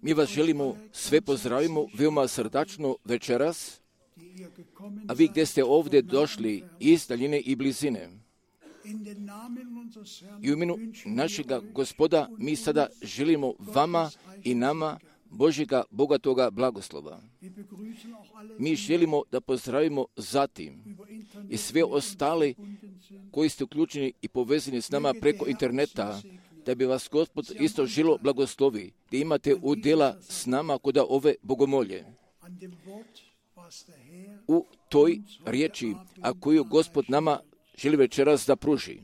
Mi vas želimo sve pozdravimo veoma srdačno večeras, a vi gdje ste ovdje došli iz daljine i blizine. I u imenu našega Gospoda mi sada želimo vama i nama Božjega bogatoga blagoslova. Mi želimo da pozdravimo zatim i sve ostale koji ste uključeni i povezani s nama preko interneta, da bi vas Gospod isto želo blagoslovi, da imate udjela s nama kod ove bogomolje. U toj riječi, a koju Gospod nama želi večeras da pruži.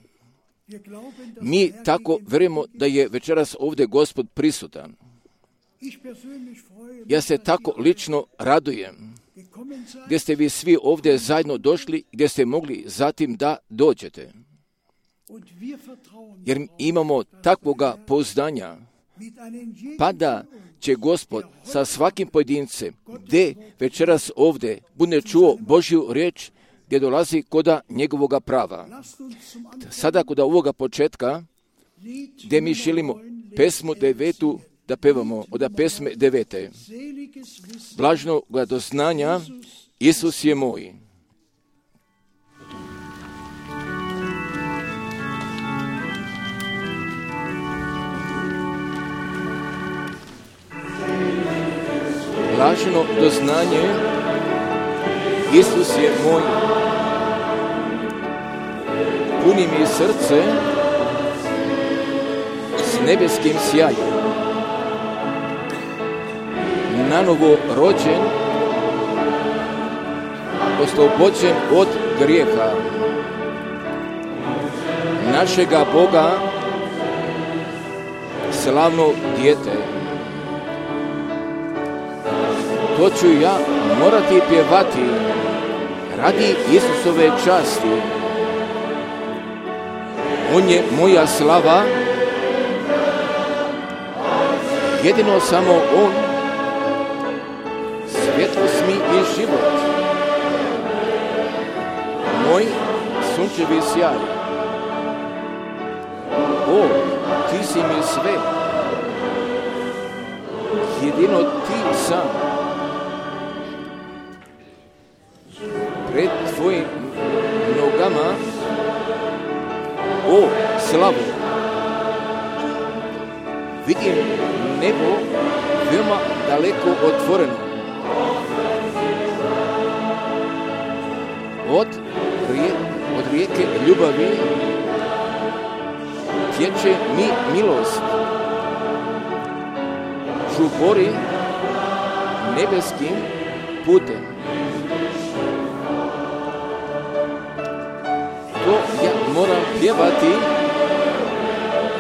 Mi tako vjerujemo da je večeras ovdje Gospod prisutan. Ja se tako lično radujem gdje ste vi svi ovdje zajedno došli, gdje ste mogli zatim da dođete. Jer imamo takvoga pouzdanja, pa da će Gospod sa svakim pojedincem, gdje večeras ovdje bude čuo Božju riječ, gdje dolazi koda njegovoga prava. Sada koda ovoga početka, gdje mi želimo pesmu 9. da pevamo, od pesme 9. Blažnoga doznanja, Isus je moj. Blaženo doznanje, Isus je moj. Puni mi srce s nebeskim sjajem. Nanovo rođen, oslobođen od grijeha. Našega Boga, slavno dijete. To ću ja morati pjevati radi Isusove časti. On je moja slava, jedino samo On, svjetlost mi i život, moj sunčevi sjaj. O, ti si mi sve, jedino ti sam. Pred tvojim nogama, o slavu, vidim nebo veoma daleko otvoreno. Od rijeke ljubavi tječe mi milost. Žubori nebeskim putem. To ja moram pjevati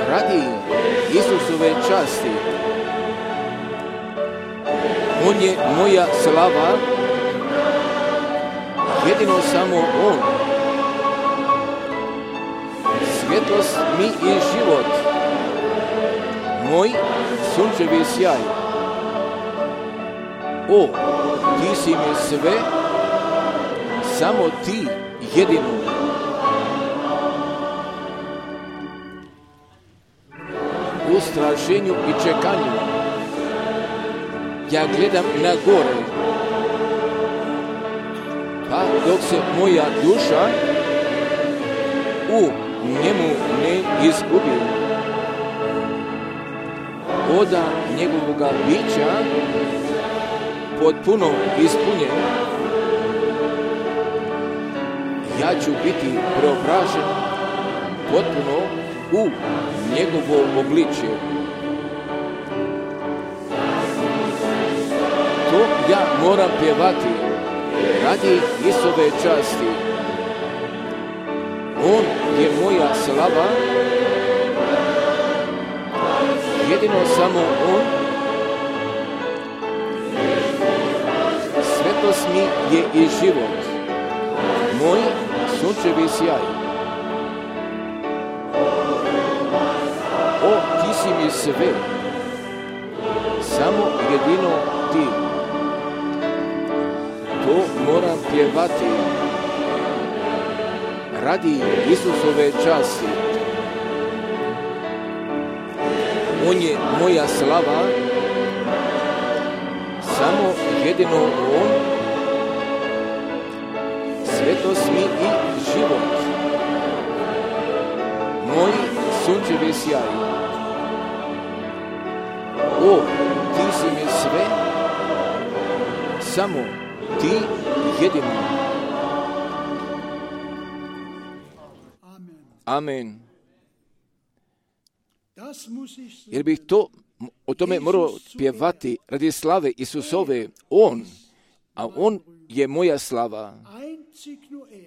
radi Isusove časti. On je moja slava, jedino samo On. Svjetlost mi i život, moj sunčevi sjaj. O, ti si mi sve, samo ti jedino. U straženju i čekanju ja gledam na gore, pa dok se moja duša u njemu ne izgubi, oda njegovoga bića potpuno ispunjen, ja ću biti preobražen potpuno u njegovo obličje. To ja moram pjevati radi Isove časti. On je moja slava, jedino samo On. Svetost mi je i život, moj sunčevi sjaj. O, ti si mi sve, samo jedino ti. To moram pjevati radi Isusove časti. On je moja slava, samo jedino on, svetost mi i život, moj sunčevi sjaj. O, ti si mi sve, samo ti jedino. Amen. Jer bih o tome morao pjevati radi slave Isusove, a on je moja slava.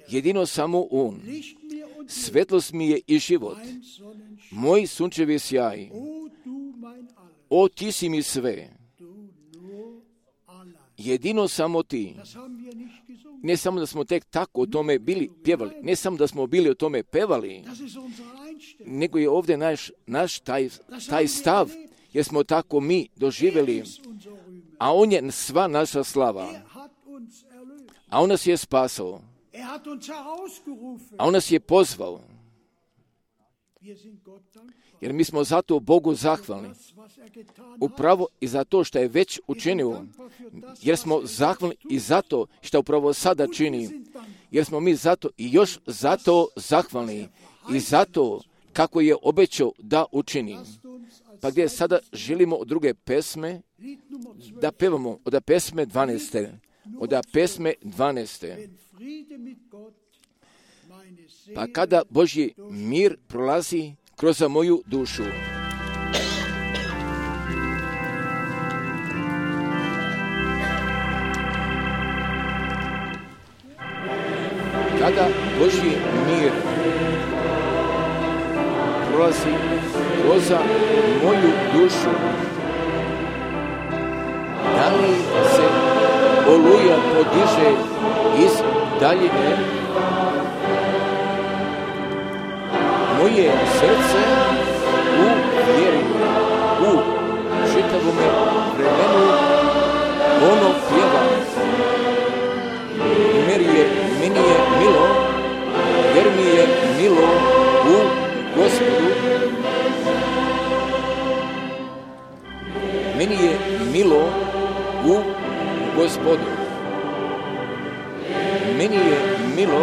Jedino samo on. Svetlost mi je i život. Moj sunčevi sjaj. O, ti si mi sve. Jedino samo ti. Ne samo da smo tek tako o tome bili pjevali, ne samo da smo bili o tome pevali, nego je ovdje naš taj stav, jer smo tako mi doživjeli, a on je sva naša slava. A on nas je spasao. A on nas je pozvao. Jer mi smo zato Bogu zahvalni. Upravo i za to što je već učinio. Jer smo zahvalni i zato što upravo sada čini. Jer smo mi zato i još zato zahvalni. I zato kako je obećao da učini. Pa gdje sada želimo od druge pesme da pevamo od pesme 12. Od pesme 12. Pa kada Božji mir prolazi kroz moju dušu. Kada Božji mir prolazi kroz moju dušu, da li se oluja podiže iz daljine, moje srce u vjeri, u čitavome vremenu ono pjeva. Meni je milo, jer mi je milo u Gospodu. Meni je milo u Gospodu. Meni je milo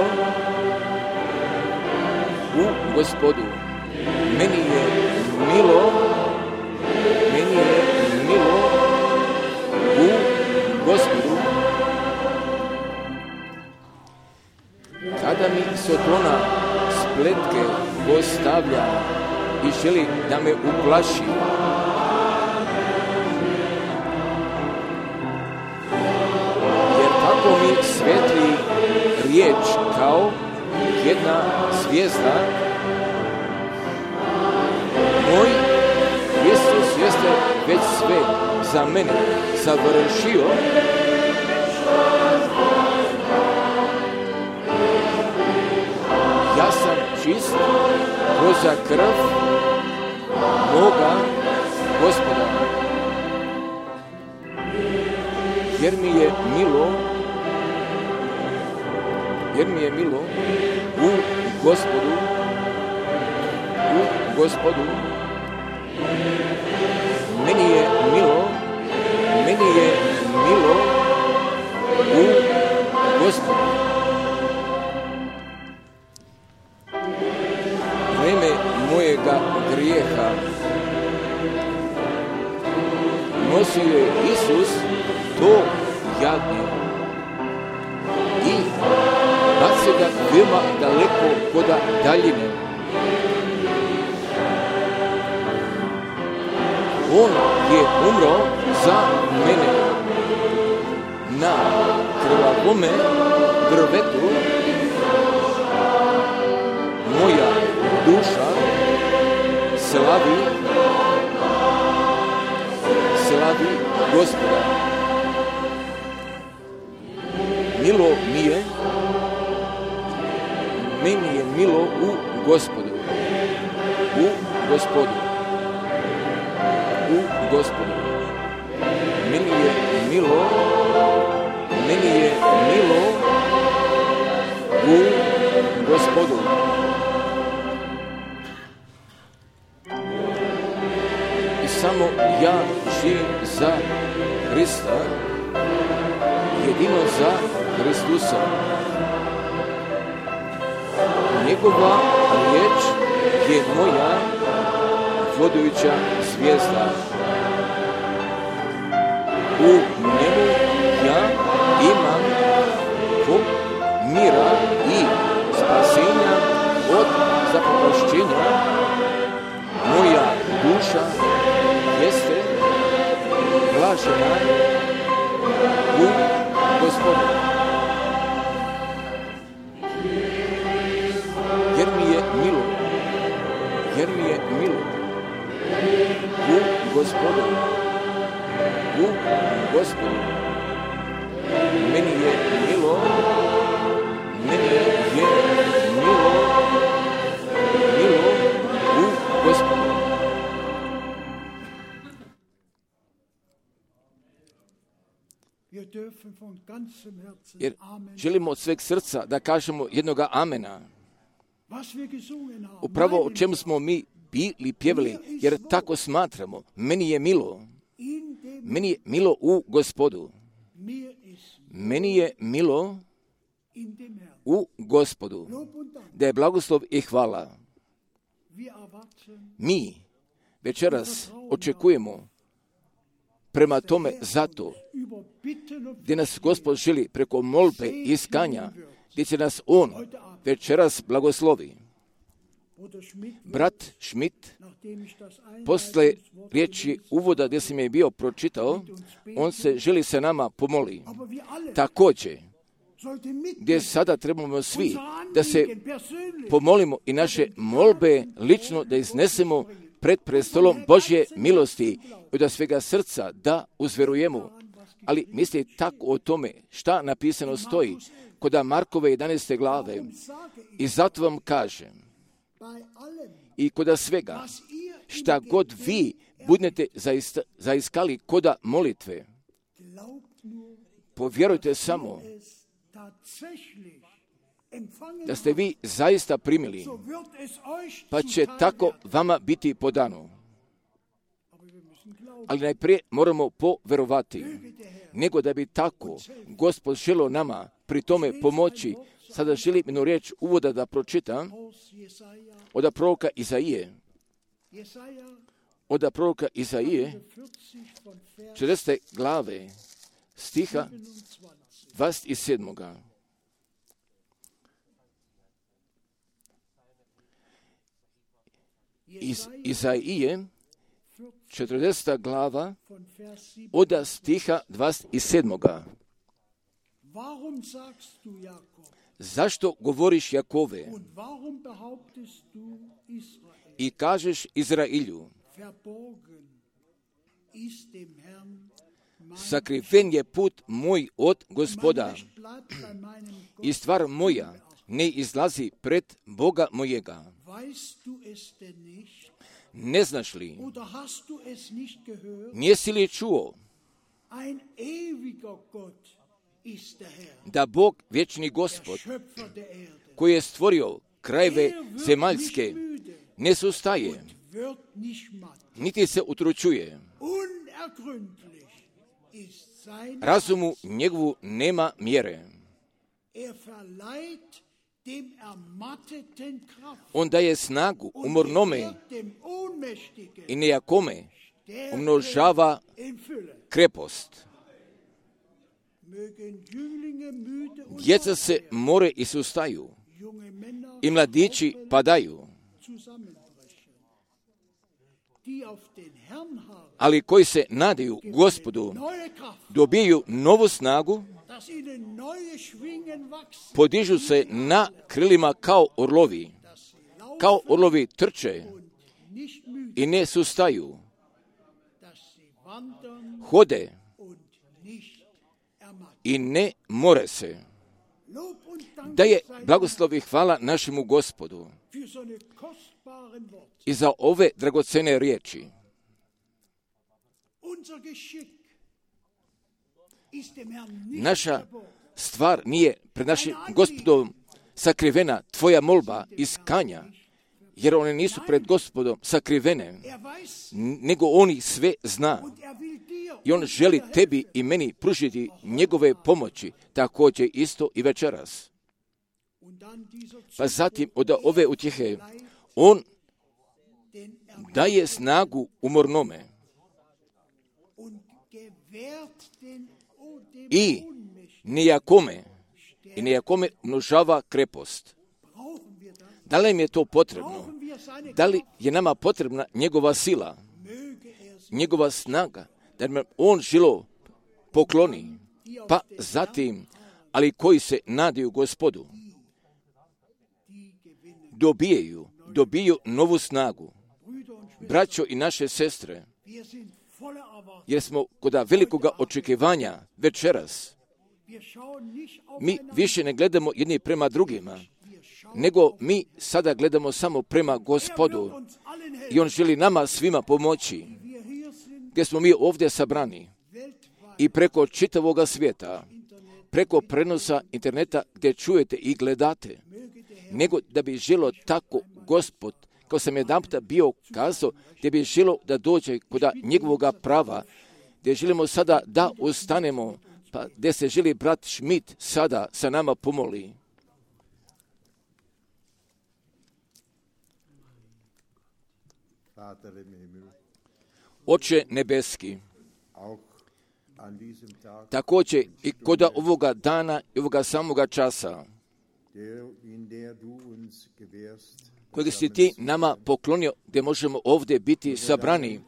u Gospodu. Meni je milo u Gospodu. Kada mi Sotona spletke postavlja i želi da me uplaši, jer tako mi svetli riječ kao jedna zvijezda, moj Isus jeste već sve za mene završio. Ja sam čist kroz krv moga Gospoda, jer mi je milo u Gospodu, meni je milo u Gospodu. Vreme mojega grijeha nosio je Isus to jadnje i bacio ga veoma daleko koda daljine. On je umro za mene na krvavome drvetu. Moja duša slavi Gospoda. Milo mi je, meni je milo u Gospodu. Meni je milo u Gospodu. ja živim za Hrista, jedino za Hristusa. Njegova riječ je moja vodujuća zvijezda. U njemu ja imam mira i spasenja od zapropašćenja. Moja duša jeste blažena u Gospodu. Jer mi je milo u Gospodu. Meni je milo u Gospodu. Jer želimo od sveg srca da kažemo jednoga amena. Upravo o čemu smo mi bili pjevali, jer tako smatramo. Meni je milo u Gospodu. Meni je milo u Gospodu. Da je blagoslov i hvala. Mi večeras očekujemo prema tome zato gdje nas Gospod želi preko molbe i iskanja, gdje će nas On večeras blagoslovi. Brat Schmidt, posle riječi uvoda gdje sam je bio pročitao, on se želi se nama pomoli. Također, gdje sada trebamo svi da se pomolimo i naše molbe lično da iznesemo pred prestolom Božje milosti i da svega srca da uzverujemo. Ali mislite tako o tome šta napisano stoji kod Markove 11. glave. I zato vam kažem, i kod svega šta god vi budete zaiskali koda molitve, povjerujte samo da ste vi zaista primili, pa će tako vama biti podano. Ali najprije moramo poverovati, nego da bi tako Gospod želio nama pri tome pomoći. Sada želim jednu riječ uvoda da pročitam od proroka Izaije. Od proroka Izaije, 40. glave, stiha 27. Iz Izaije, 40. glava, od stiha 27. Zašto govoriš Jakove i kažeš Izrailju, sakriven je put moj od Gospoda i stvar moja ne izlazi pred Boga mojega. Ne znaš li, nisi li čuo da Bog, vječni Gospod, koji je stvorio krajeve zemaljske, ne sustaje, niti se utručuje. Razumu njegovu nema mjere. On daje snagu umornome i nejakome umnožava krepost. Djeca se more i sustaju i mladići padaju. Ali koji se nadaju Gospodu, dobiju novu snagu, podižu se na krilima kao orlovi trče i ne sustaju, hode i ne more se. Da je blagoslov i hvala našemu Gospodu i za ove dragocene riječi. Naša stvar nije pred našim Gospodom sakrivena, tvoja molba iskanja jer one nisu pred Gospodom sakrivene, nego oni sve zna. I on želi tebi i meni pružiti njegove pomoći, također isto i večeras. Pa zatim od ove utjehe on daje snagu umornome i nejakome množava krepost. Da li im je to potrebno? Da li je nama potrebna njegova sila, njegova snaga, da nam on žilo pokloni? Pa zatim, ali koji se nadaju Gospodu, dobiju novu snagu. Braćo i naše sestre, jer smo kod velikoga očekivanja večeras, mi više ne gledamo jedni prema drugima, nego mi sada gledamo samo prema Gospodu i on želi nama svima pomoći, gdje smo mi ovdje sabrani i preko čitavoga svijeta, preko prenosa interneta gdje čujete i gledate, nego da bi želo tako Gospod, kao sam jedanputa bio kazao, gdje bi želo da dođe kod njegovoga prava, gdje želimo sada da ustanemo, pa gdje se želi brat Schmidt sada sa nama pomoli. Oče nebeski, također i kod ovoga dana i ovoga samoga časa, kojeg si ti nama poklonio, gdje možemo ovdje biti sabrani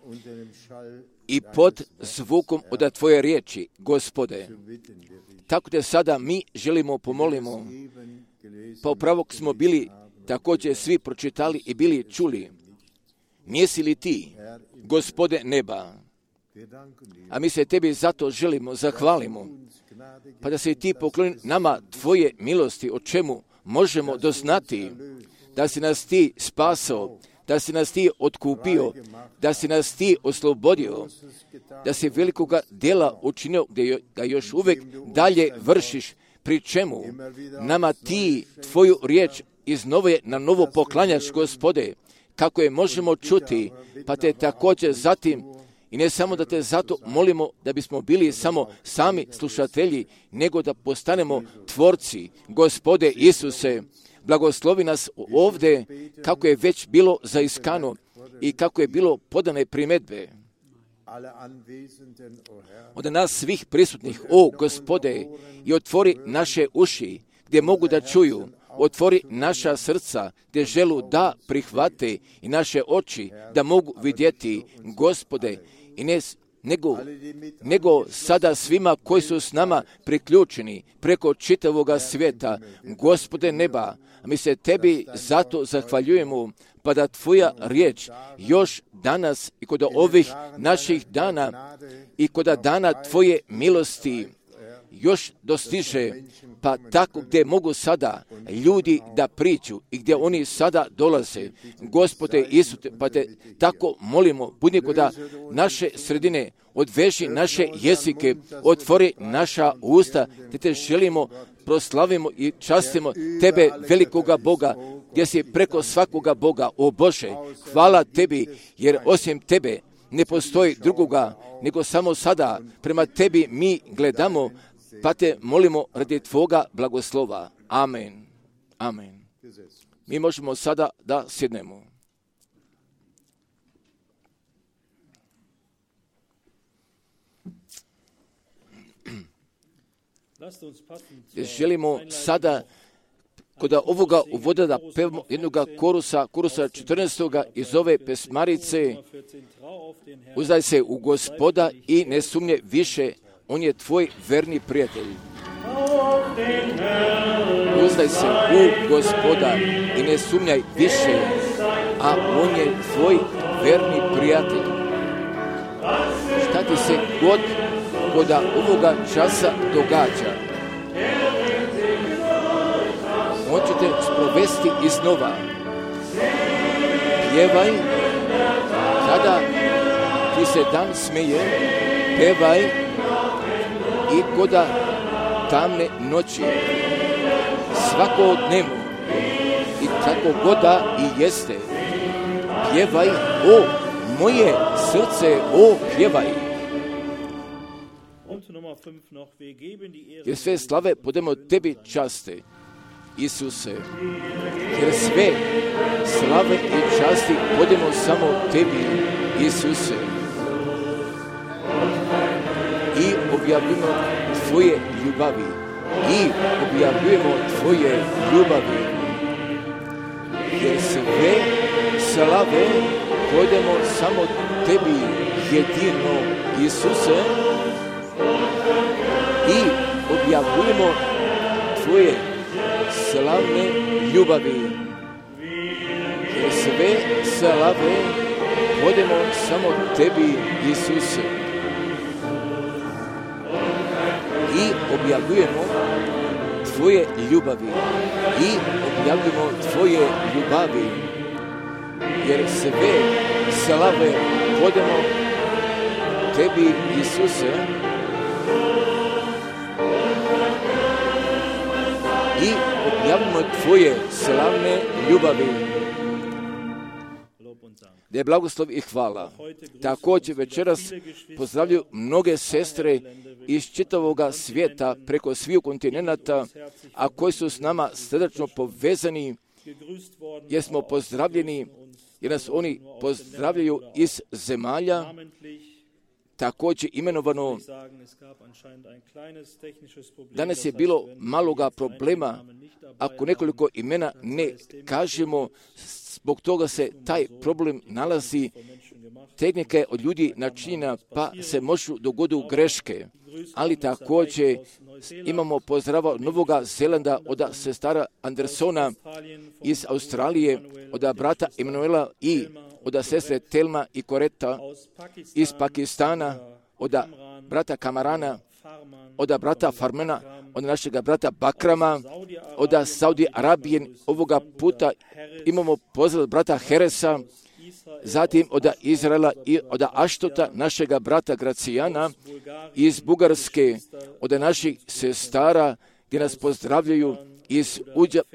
i pod zvukom od tvoje riječi, Gospode. Tako da sada mi želimo pomolimo, pa upravo smo bili također svi pročitali i bili čuli. Nisi li ti, Gospode neba? A mi se tebi zato želimo, zahvalimo, pa da se ti pokloni nama tvoje milosti, o čemu možemo doznati, da si nas ti spasao, da si nas ti otkupio, da si nas ti oslobodio, da si velikoga djela učinio, gdje ga još uvijek dalje vršiš, pri čemu nama ti tvoju riječ na novo poklanjaš, Gospode, kako je možemo čuti, pa te također zatim, i ne samo da te zato molimo da bismo bili samo sami slušatelji, nego da postanemo tvorci. Gospode Isuse, blagoslovi nas ovdje kako je već bilo zaiskano i kako je bilo podane primjedbe od nas svih prisutnih, o Gospode, i otvori naše uši gdje mogu da čuju, otvori naša srca gdje želu da prihvate i naše oči da mogu vidjeti, Gospode, i nego sada svima koji su s nama priključeni preko čitavoga svijeta, Gospode neba, mi se tebi zato zahvaljujemo, pa da tvoja riječ još danas i kod ovih naših dana i kod dana tvoje milosti još dostiže, pa tako gdje mogu sada ljudi da priču i gdje oni sada dolaze. Gospode Isuse, pa te tako molimo, budi kod naše sredine, odveži naše jezike, otvori naša usta, te želimo, proslavimo i častimo tebe, velikoga Boga, gdje si preko svakoga Boga, o Bože, hvala tebi, jer osim tebe ne postoji drugoga, nego samo sada prema tebi mi gledamo, pa te molimo radi tvoga blagoslova. Amen. Amen. Mi možemo sada da sjednemo. Želimo sada kod ovoga uvoda da pevamo jednog korusa 14. iz ove pesmarice. Uzdaj se u Gospoda i ne sumnje više, on je tvoj verni prijatelj. Uzdaj se u Gospoda i ne sumnjaj više, a on je tvoj verni prijatelj. Šta ti se god kod ovoga časa događa, on će te sprovesti iznova. Pjevaj kada ti se dan smeje, pevaj i koda tamne noći, svakodnevno i kako god da i jeste. pjevaj, o moje srce, o pjevaj. Jer sve slave podemo tebi časte, Isuse. Jer sve slave i časti podemo samo tebi, Isuse. I objavljujemo tvoje ljubavi. I objavljujemo tvoje ljubavi. Jer sve slave podemo samo tebi, jedino, Isuse. I objavljujemo tvoje slavne ljubavi. Jer sve slave podemo samo tebi, Isuse. I objavljujemo tvoje ljubavi. I objavljujemo tvoje ljubavi. Jer sve slave podemo tebi, Isuse. I objavimo tvoje slavne ljubavi. Da je blagoslov i hvala. Također večeras pozdravljaju mnoge sestre iz čitavoga svijeta preko svih kontinenata, a koji su s nama srdačno povezani, jer smo pozdravljeni, jer nas oni pozdravljaju iz zemalja, također imenovano. Danas je bilo maloga problema, ako nekoliko imena ne kažemo, zbog toga se taj problem nalazi, tehnika je od ljudi načinjena, pa se možu dogoditi greške. Ali također imamo pozdrava Novoga Zelanda od sestara Andersona iz Australije, od brata Emanuela i od sestre Telma i Koreta iz Pakistana, od brata Kamarana, od brata Farmana, od našega brata Bakrama, od Saudi Arabije. Ovoga puta imamo pozdrav brata Heresa, zatim od Izraela i od Aštota, našega brata Gracijana iz Bugarske, od naših sestara gdje nas pozdravljaju iz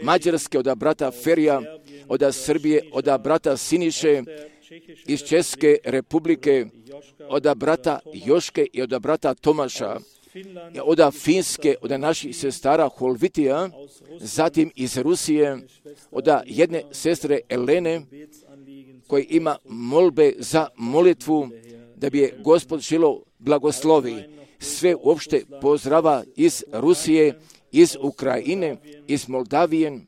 Mađarske, od brata Ferija, od Srbije, od brata Siniše, iz Česke republike, od brata Joške i od brata Tomaša, od Finske, od naših sestara Holvitija, zatim iz Rusije, od jedne sestre Elene, koji ima molbe za molitvu, da bi je Gospod želo blagoslovi. Sve uopšte pozdrava iz Rusije, iz Ukrajine, iz Moldavije,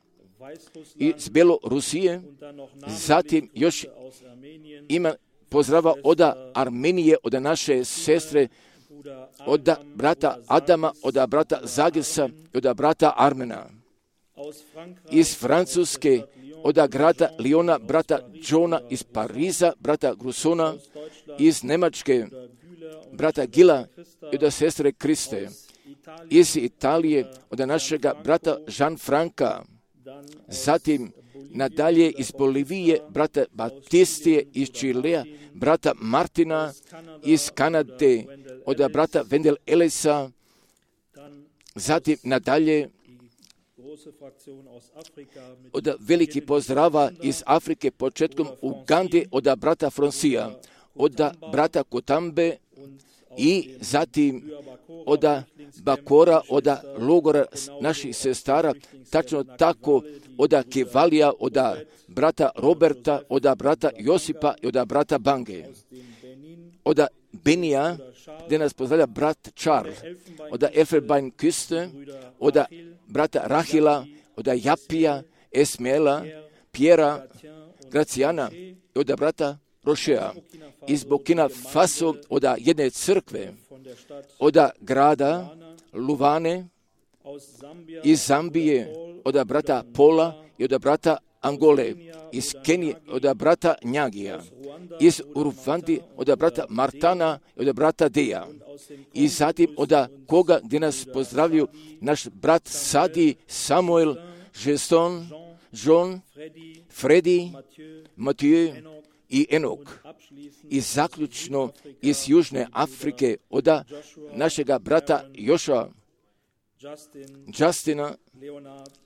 iz Belorusije, zatim još ima pozdrava od Armenije, od naše sestre, od brata Adama, od brata Zagesa i od brata Armena. Iz Francuske, od grada Liona, brata Johna, iz Pariza, brata Grusona, iz Nemačke, brata Gila i od sestre Kriste. Iz Italije, od našega brata Jean-Franca, zatim nadalje iz Bolivije, brata Batistije, iz Čilea, brata Martina, iz Kanade, od brata Wendel Elisa, zatim nadalje od veliki pozdrava iz Afrike, početkom Ugande, od brata Fronsija, od brata Kotambe i zatim od Bakora, od logora naših sestara, tačno tako od Kevalija, od brata Roberta, od brata Josipa i od brata Bange. Od Benija, gdje nas pozdravlja brat Charles, od Elfenbeinküste, od brata Rahila, od Japija, Esmela, Pjera, Gracijana i od brata Rošea. Iz Burkina Faso, od jedne crkve, od grada Luvane, iz Zambije, od brata Pola i od brata Angole, iz Kenije, od brata Njagija, iz Uruvandi, od brata Martana i od brata Deja. I zatim od koga gdje nas pozdravljaju naš brat Sadi, Samuel, Geston, John, Freddy, Mathieu i Enok. I zaključno iz Južne Afrike od našega brata Joša, Justina,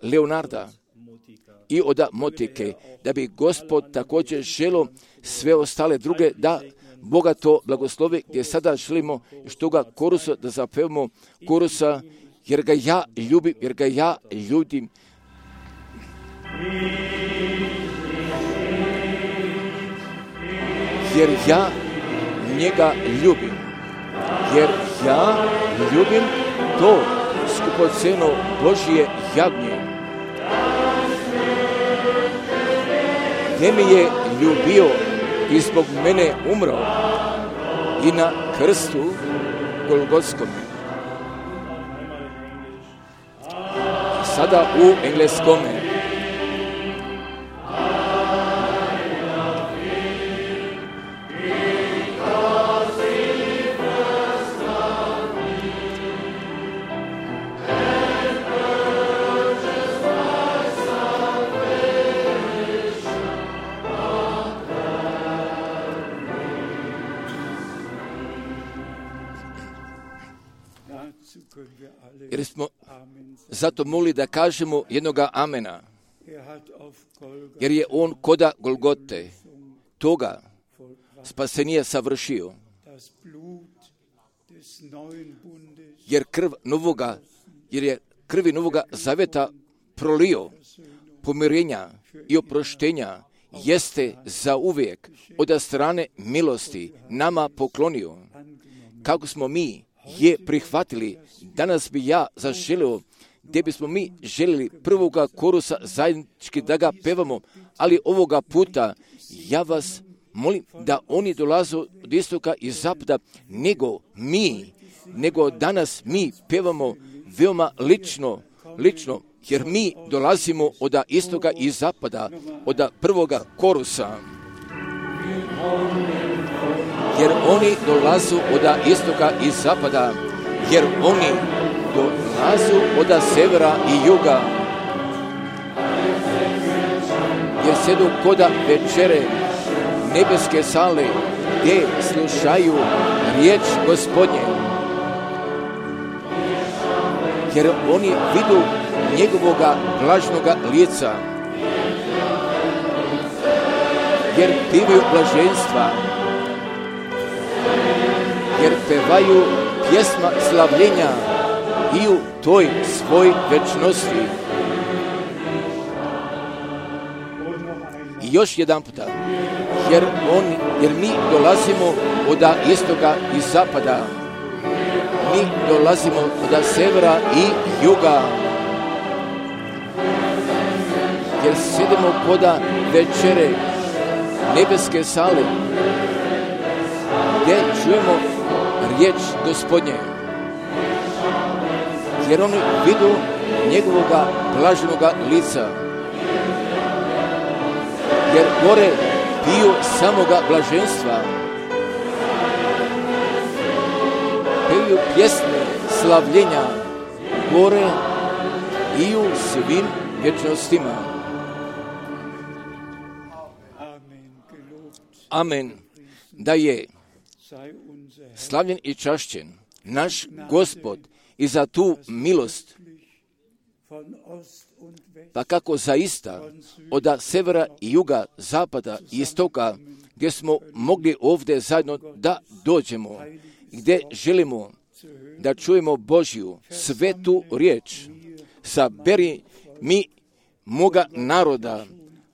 Leonarda, i od motike, da bi Gospod također želio sve ostale druge da Boga to blagoslovi, gdje sada želimo što ga korusa da zapevamo korusa, jer ga ja ljubim, jer ga ja ljudim. Jer ja njega ljubim, jer ja ljubim to skupoceno Božje jagnje. Gdje me je ljubio i zbog mene umro i na krstu Golgotskome. Sada u engleskome. Jer smo zato mogli da kažemo jednoga amena. Jer je on koda Golgote toga spasenija savršio. Jer je krvi novoga zaveta prolio pomirenja i oproštenja jeste za uvijek od strane milosti nama poklonio. Kako smo mi je prihvatili, danas bi ja zaželio, gdje bismo mi željeli prvoga korusa zajednički da ga pevamo, ali ovoga puta ja vas molim da oni dolaze od istoka i zapada, nego danas mi pevamo veoma lično, jer mi dolazimo od istoka i zapada, od prvoga korusa. Jer oni dolazu od istoka i zapada, jer oni dolazu od severa i juga, jer sjedu koda večere nebeske sale, gdje slušaju riječ Gospodnje, jer oni vidu njegovoga blažnoga lica, jer pivaju blaženstva, jer pevaju pjesma slavljenja i u toj svoj večnosti. I još jedan puta, jer mi dolazimo od istoka i zapada, mi dolazimo od severa i juga, jer sjedemo koda večere nebeske sale, gdje čujemo riječ Gospodnje, jer oni vidu njegovoga blaženoga lica, jer gore piju samoga blaženstva, pevaju pjesme slavljenja gore i u svim vječnostima. Amen. Da je slavljen i čašćen naš Gospod i za tu milost, pa kako zaista od severa i juga, zapada i istoka, gdje smo mogli ovdje zajedno da dođemo, gdje želimo da čujemo Božju svetu riječ. Saberi mi moga naroda,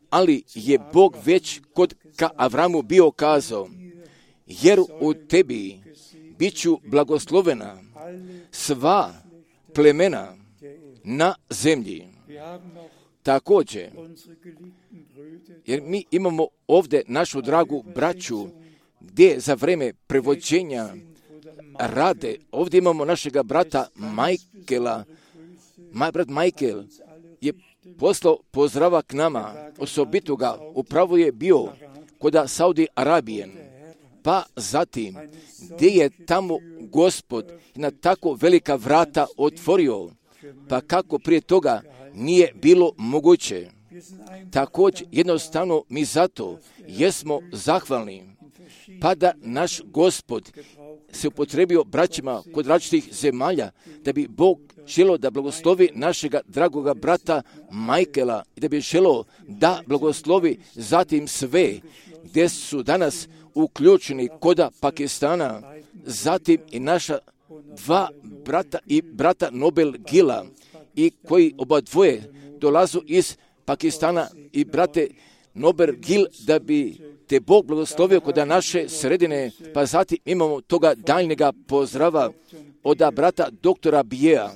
ali je Bog već kod ka Avramu bio kazao, jer u tebi bit ću blagoslovena sva plemena na zemlji. Također, jer mi imamo ovdje našu dragu braću, gdje za vreme prevođenja rade, ovdje imamo našega brata Michaela. Brat Michael je poslao pozdrava k nama, osobito ga upravo je bio kod Saudi Arabije, pa zatim gdje je tamo Gospod na tako velika vrata otvorio, pa kako prije toga nije bilo moguće. Također jednostavno mi zato jesmo zahvalni, pa da naš Gospod se upotrebio braćima kod različitih zemalja, da bi Bog želio da blagoslovi našega dragoga brata Michaela i da bi želio da blagoslovi zatim sve gdje su danas uključeni koda Pakistana, zatim i naša dva brata i brata Nobel Gila i koji oba dvoje dolazu iz Pakistana i brate Nobel Gil, da bi te Bog blagoslovio kod naše sredine. Pa zatim imamo toga daljnjega pozdrava od brata doktora Bijeja.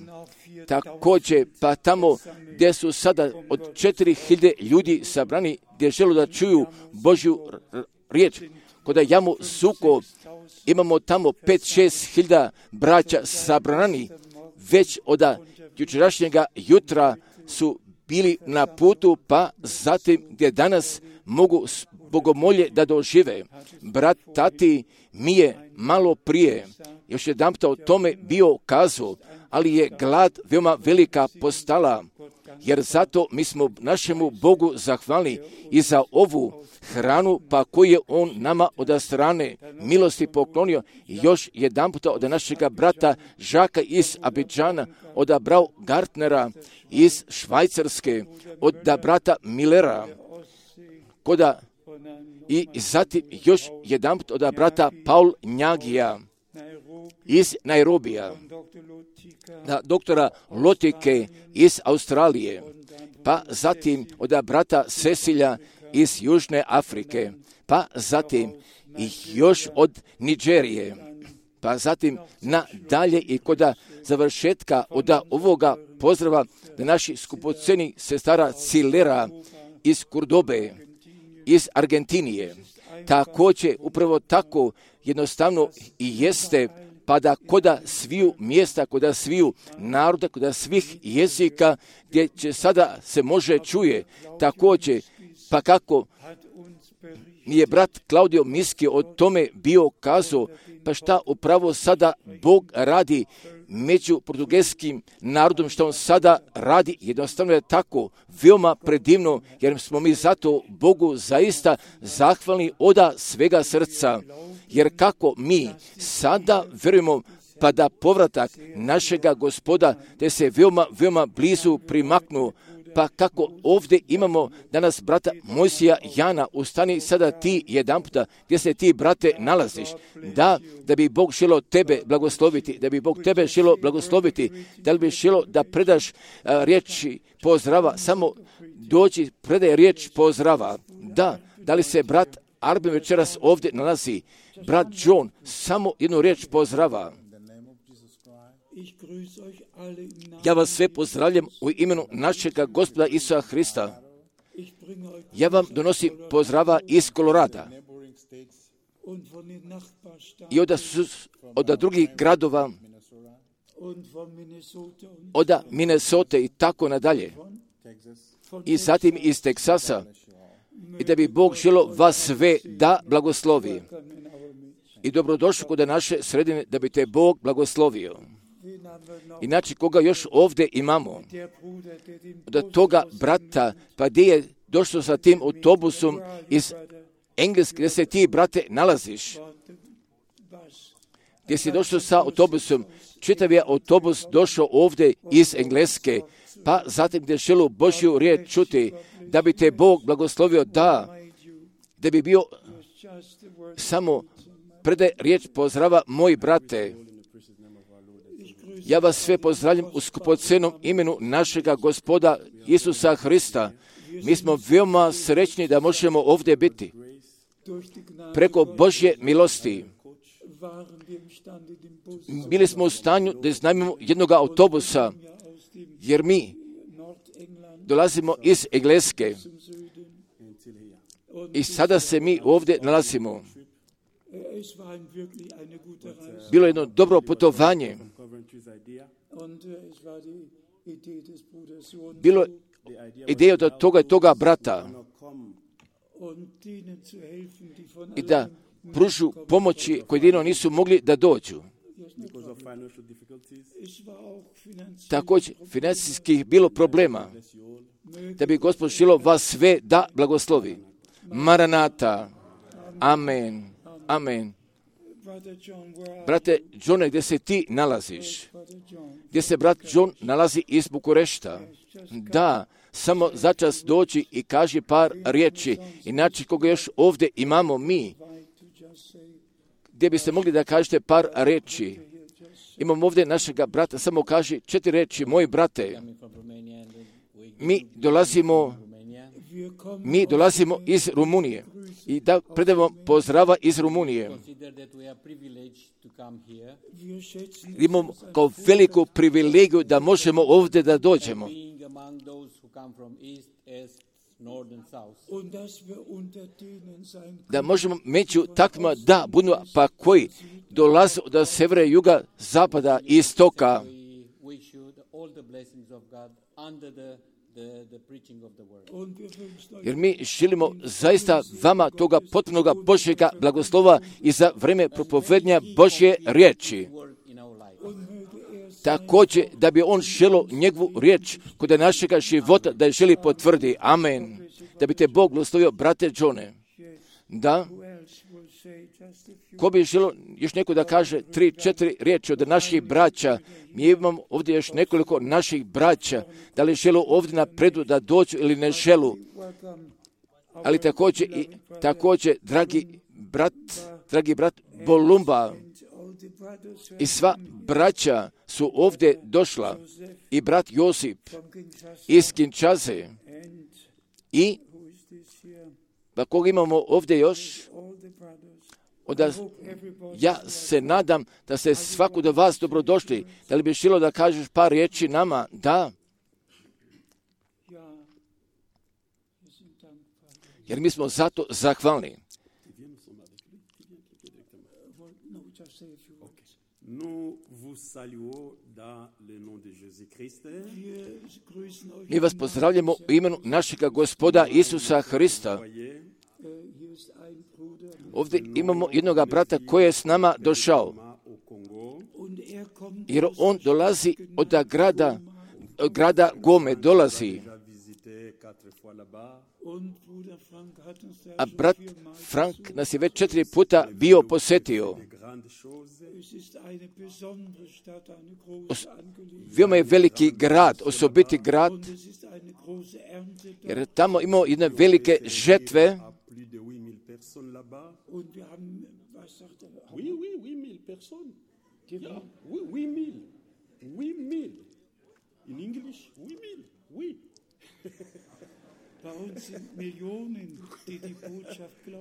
Također, pa tamo gdje su sada od 4000 ljudi sabrani, gdje žele da čuju Božju riječ, kod Jamu Suko imamo tamo 5-6 hiljada braća sabrani, već od jučerašnjega jutra su bili na putu, pa zatim gdje danas mogu bogomolje da dožive. Brat Tati mi je malo prije još jedanput o tome bio kazao, ali je glad veoma velika postala, jer zato mi smo našemu Bogu zahvalni i za ovu hranu, pa koju je On nama od strane milosti poklonio, i još jedanput od našega brata Žaka iz Abidžana, od Brau Gartnera iz Švajcarske, od brata Millera, koda i zatim još jedanput od brata Paul Njagija iz Nairobija, doktora Lotike iz Australije, pa zatim od brata Cecilja iz Južne Afrike, pa zatim i još od Nigerije, pa zatim nadalje i kod završetka od ovoga pozdrava da naši skupoceni sestara Cilera iz Kurdobe, iz Argentinije. Također, upravo tako jednostavno i jeste, pa da koda sviju mjesta, koda sviju naroda, koda svih jezika, gdje će sada se može čuje, također, pa kako mi je brat Klaudio Miski o tome bio kazao, pa šta upravo sada Bog radi među portugalskim narodom, što on sada radi, jednostavno je tako veoma predivno, jer smo mi zato Bogu zaista zahvalni od svega srca, jer kako mi sada verujemo pa da povratak našega Gospoda te se veoma blizu primaknu, pa kako ovdje imamo danas brata Mojsija Jana, ustani sada ti jedan puta gdje se ti, brate, nalaziš, da bi Bog želio tebe blagosloviti, da bi Bog tebe želio blagosloviti, da li bi želio da predaš riječi pozdrava, samo dođi, predaj riječ pozdrava, da li se brat Arben večeras ovdje nalazi, brat John, samo jednu riječ pozdrava. Ja vas sve pozdravljam u imenu našega Gospoda Isusa Hrista. Ja vam donosim pozdrava iz Kolorada i od drugih gradova, od Minnesota i tako nadalje, i zatim iz Teksasa, i da bi Bog želio vas sve da blagoslovi. I dobrodošli kod naše sredine, da bi te Bog blagoslovio. Inače, koga još ovdje imamo? Od toga brata, pa gdje je došlo sa tim autobusom iz Engleske, gdje se ti, brate, nalaziš? Gdje si došao sa autobusom? Čitav je autobus došao ovdje iz Engleske, pa zatim gdje želu Božju riječ čuti, da bi te Bog blagoslovio, da bi bio samo predaj riječ pozdrava, moji brate. Ja vas sve pozdravljam u skupocenom imenu našega Gospoda Isusa Hrista. Mi smo veoma srećni da možemo ovdje biti. Preko Božje milosti bili smo u stanju da iznajmimo jednog autobusa, jer mi dolazimo iz Engleske i sada se mi ovdje nalazimo. Bilo je jedno dobro putovanje. Bilo ideja od toga brata i da pružu pomoći koji jedino nisu mogli da dođu. Također, financijskih bilo problema, da bi Gospod želio vas sve da blagoslovi. Maranata. Amen. Amen. Brate Johne, gdje se ti nalaziš? Gdje se brat John nalazi iz Bukurešta? Da, samo začas dođi i kaži par riječi, inače koga još ovdje imamo mi, gdje biste mogli da kažete par riječi. Imamo ovdje našega brata, samo kaži 4 riječi, moji brate. Mi dolazimo iz Rumunije i da predamo pozdrava iz Rumunije. Imamo kao veliku privilegiju da možemo ovdje da dođemo. Da možemo među takvima da budu pa koji dolaze od severa, juga, zapada i istoka. Jer mi želimo zaista vama toga potpunoga Božjega blagoslova i za vreme propovednja Božje riječi. Također da bi on želio njegovu riječ kod našega života da je želi potvrdi. Amen. Da bi te Bog blagoslovio, brate Johne. Da. Ko bi želio još neko da kaže 3-4 riječi od naših braća? Mi imamo ovdje još nekoliko naših braća. Da li žele ovdje napredu da dođu ili ne želu? Ali također dragi brat Bolumba i sva braća su ovdje došla. I brat Josip iz Kinčaze. I pa koga imamo ovdje još? Ja se nadam da ste svaku do vas dobrodošli. Da li bi želio da kažeš par riječi nama? Da. Jer mi smo zato zahvalni. Mi vas pozdravljamo u imenu našega Gospoda Isusa Hrista. Ovdje imamo jednoga brata koji je s nama došao. Jer on dolazi od grada Gome, dolazi. A brat Frank nas je već 4 puta bio posjetio. Veoma je veliki grad, osobiti grad, jer tamo imamo jedne velike žetve.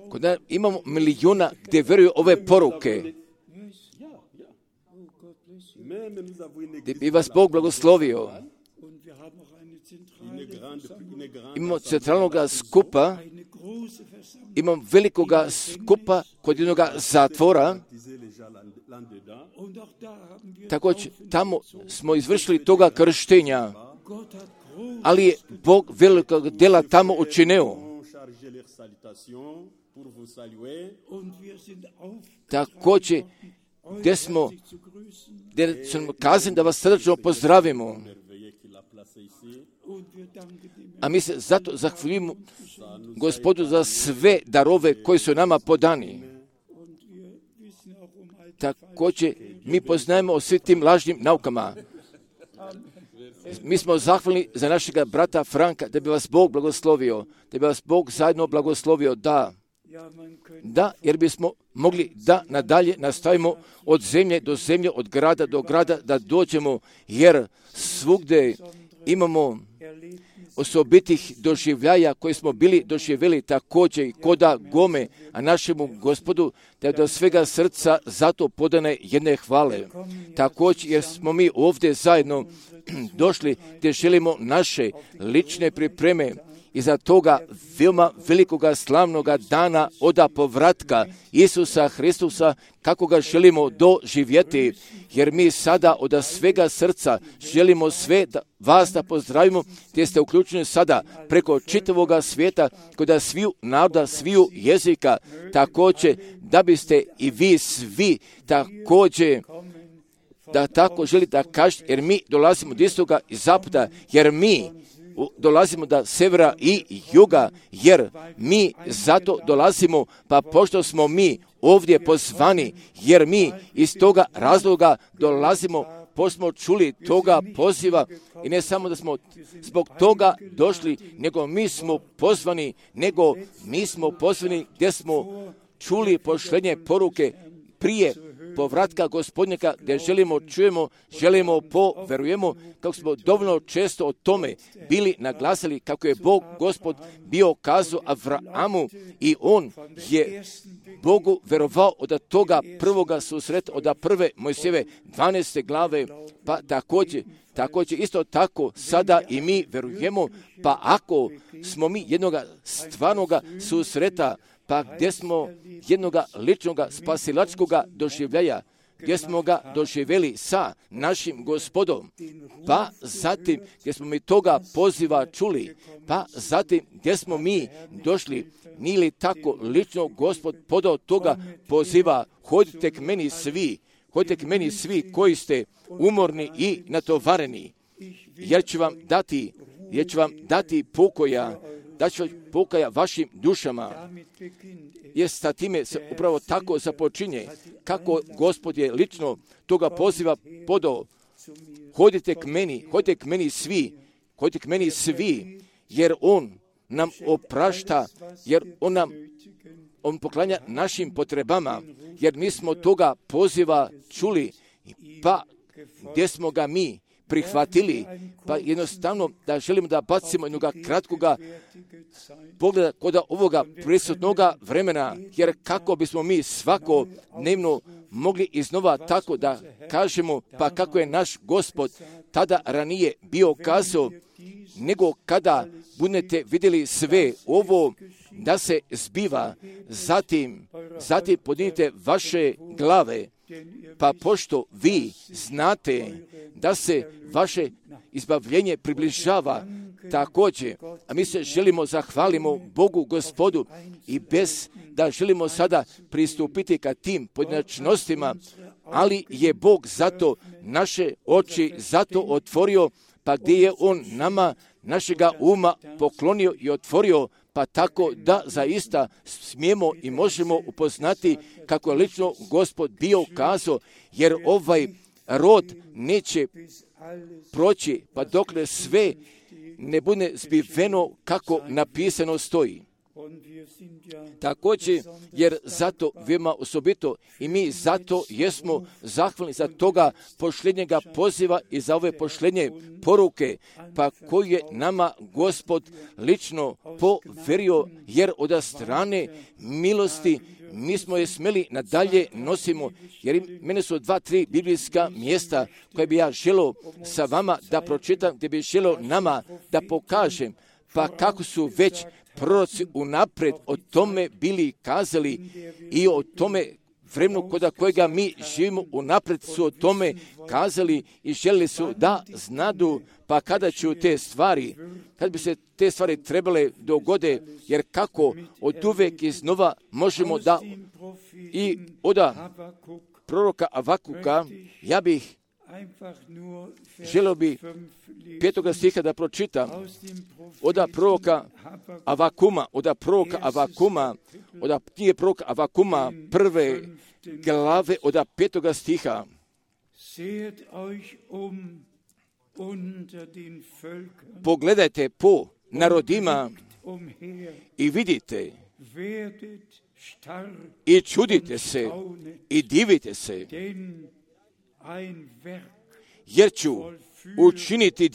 Kod nas imamo milijuna gdje vjeruju ove poruke. Gdje bi vas Bog blagoslovio. Imamo centralnog skupa, imamo velikoga skupa kod jednog zatvora. Također, tamo smo izvršili toga krštenja, ali je Bog velikog dela tamo učinio. Također, gdje smo kazali da vas srdačno pozdravimo. A mi se zato zahvaljujemo Gospodu za sve darove koji su nama podani. Također, mi poznajemo o svim tim lažnim naukama. Mi smo zahvalni za našega brata Franka, da bi vas Bog blagoslovio, da bi vas Bog zajedno blagoslovio, da, jer bismo mogli da nadalje nastavimo od zemlje do zemlje, od grada do grada, da dođemo, jer svugdje imamo osobitih doživljaja koje smo bili doživjeli također i koda Gome, a našemu Gospodu da do svega srca zato podane jedne hvale. Također jer smo mi ovdje zajedno došli gdje želimo naše lične pripreme i za toga veoma velikoga slavnoga dana oda povratka Isusa Hristusa, kako ga želimo doživjeti, jer mi sada od svega srca želimo sve vas da pozdravimo, gdje ste uključeni sada preko čitavoga svijeta, kod sviju naroda, sviju jezika, također da biste i vi svi također da tako želite da kažete, jer mi dolazimo od istoga i zapada, jer mi dolazimo do severa i juga, jer mi zato dolazimo, pa pošto smo mi ovdje pozvani, jer mi iz toga razloga dolazimo, pošto smo čuli toga poziva i ne samo da smo zbog toga došli, nego mi smo pozvani, gdje smo čuli pošlenje poruke prije povratka Gospodnjaka, gdje čujemo, verujemo, kako smo dovoljno često o tome bili naglasili, kako je Bog Gospod bio kazao Avramu i on je Bogu verovao od toga prvoga susreta, od prve Mojsijeve 12. glave, pa također isto tako sada i mi verujemo, pa ako smo mi jednoga stvarnoga susreta, pa gdje smo jednoga ličnoga spasilačkoga doživljaja, gdje smo ga doživjeli sa našim Gospodom, pa zatim gdje smo mi toga poziva čuli, pa zatim gdje smo mi došli, nije li tako lično Gospod podao toga poziva, hodite k meni svi koji ste umorni i natovareni, jer ću vam dati pokoja, vašim dušama. Jer sa time se upravo tako započinje, kako Gospod je lično toga poziva podao. Hodite k meni svi, jer On nam oprašta, jer On poklanja našim potrebama, jer mi smo toga poziva čuli, pa gdje smo ga mi prihvatili, pa jednostavno da želimo da bacimo jednoga kratkoga pogleda kod ovoga prisutnoga vremena, jer kako bismo mi svakodnevno mogli iznova tako da kažemo, pa kako je naš Gospod tada ranije bio kazao, nego kada budete vidjeli sve ovo da se zbiva, zatim podignite vaše glave, pa pošto vi znate da se vaše izbavljenje približava također, a mi se želimo zahvalimo Bogu Gospodu i bez da želimo sada pristupiti ka tim pojedinačnostima, ali je Bog zato naše oči zato otvorio, pa gdje je On nama našega uma poklonio i otvorio, pa tako da zaista smijemo i možemo upoznati kako je lično Gospod bio kazao, jer ovaj rod neće proći, pa dokle sve ne bude zbiveno kako napisano stoji. Također, jer zato veoma osobito i mi zato jesmo zahvalni za toga pošljenjega poziva i za ove pošljenje poruke, pa koju je nama Gospod lično poverio, jer od strane milosti mi smo je smjeli nadalje nosimo, jer mene su 2-3 biblijska mjesta koje bi ja želio sa vama da pročitam, gdje bi želio nama da pokažem, pa kako su već proroci unaprijed o tome bili kazali i o tome vremenu kod kojega mi živimo unaprijed su o tome kazali i željeli su da znadu, pa kada će te stvari, kad bi se te stvari trebale dogode, jer kako od uvek iznova možemo da i od proroka Avakuka, ja bih želio bi 5. stiha da pročitam od proroka Avakuma, od knjige proroka Avakuma 1. glave od 5. stiha. Pogledajte po narodima i vidite i čudite se i divite se, jer ću učiniti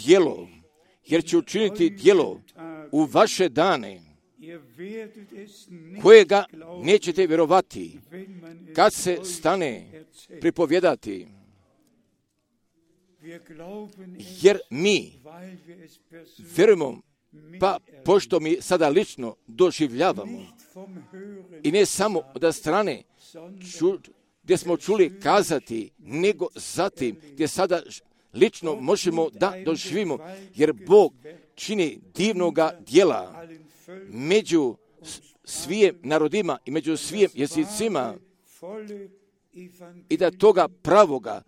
djelo u vaše dane, kojega nećete vjerovati kad se stane pripovjedati. Jer mi vjerujemo, pa pošto mi sada lično doživljavamo, i ne samo od strane gdje smo čuli kazati, nego zatim gdje sada lično možemo da doživimo, jer Bog čini divnoga djela među svim narodima i među svim jezicima, i da toga pravoga,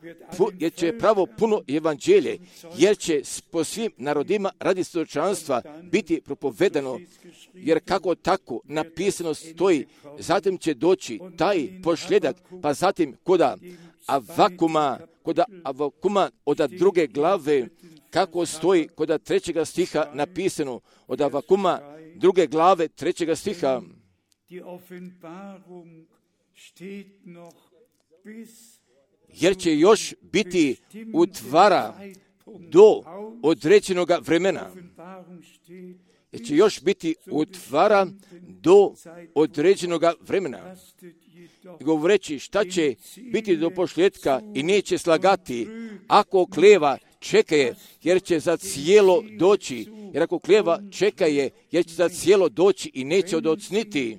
jer će pravo puno evanđelje, jer će po svim narodima radi svjedočanstva biti propovedano, jer kako tako napisano stoji, zatim će doći taj pošljedak, pa zatim kod Avakuma od druge glave, kako stoji kod 3. stiha napisano, od Avakuma 2. glave 3. stiha. Jer će još biti utvara do određenog vremena. Jer će još biti utvara do određenog vremena. Govoreći šta će biti do pošljetka i neće slagati, ako kleva čekaje, jer će za cijelo doći. Jer ako kleva čekaje, jer će za cijelo doći i neće odocniti.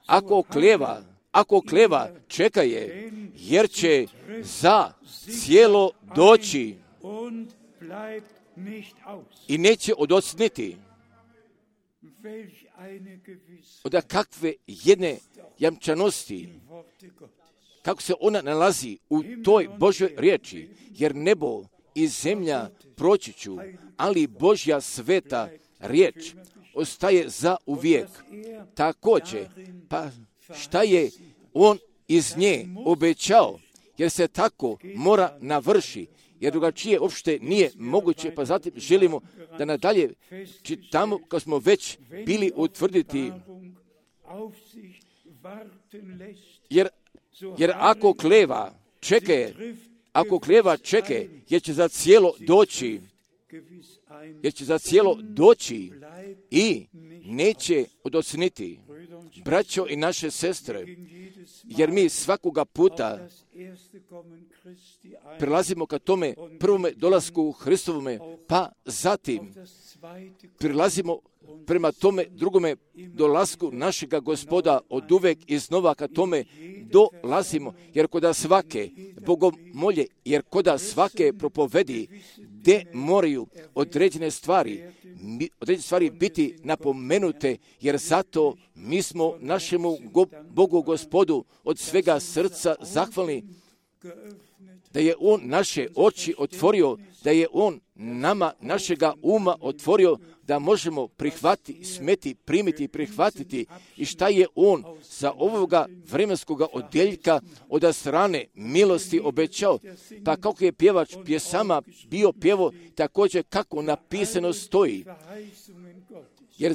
Ako kleva čekaje, jer će za cijelo doći i neće odocniti. Od kakve jedne jamčanosti, kako se ona nalazi u toj Božjoj riječi, jer nebo i zemlja proći ću, ali Božja sveta riječ ostaje za uvijek. Također, pa šta je on iz nje obećao, jer se tako mora navrši, jer drugačije uopšte nije moguće, pa zatim želimo da nadalje čitamo, kao smo već bili utvrditi, jer ako kleva čekaje, jer će za cijelo doći, i neće odocniti. Braćo i naše sestre, jer mi svakoga puta prilazimo ka tome prvome dolasku Hristovome, pa zatim prilazimo prema tome drugome dolasku našega Gospoda od uvek iznova ka tome dolazimo, jer koda svake bogomolje, jer koda svake propovedi, gde moraju određene stvari biti napomenute, jer zato mi smo našemu Bogu Gospodu od svega srca zahvalni, da je On naše oči otvorio, da je On nama našega uma otvorio, da možemo primiti i prihvatiti, i šta je On za ovoga vremenskoga odjeljka od strane milosti obećao. Pa kako je pjevač pjesama bio pjevo, također kako napisano stoji. Jer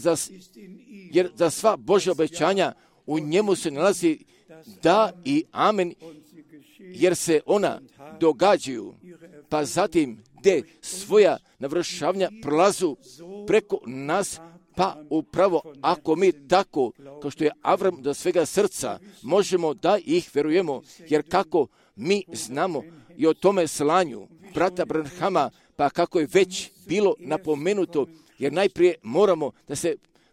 za sva Božja obećanja u njemu se nalazi da i amen, jer se ona događaju, pa zatim gdje svoja navršavanja prolazu preko nas, pa upravo ako mi tako, kao što je Avram do svega srca, možemo da ih verujemo, jer kako mi znamo i o tome slanju brata Branhama, pa kako je već bilo napomenuto, jer najprije moramo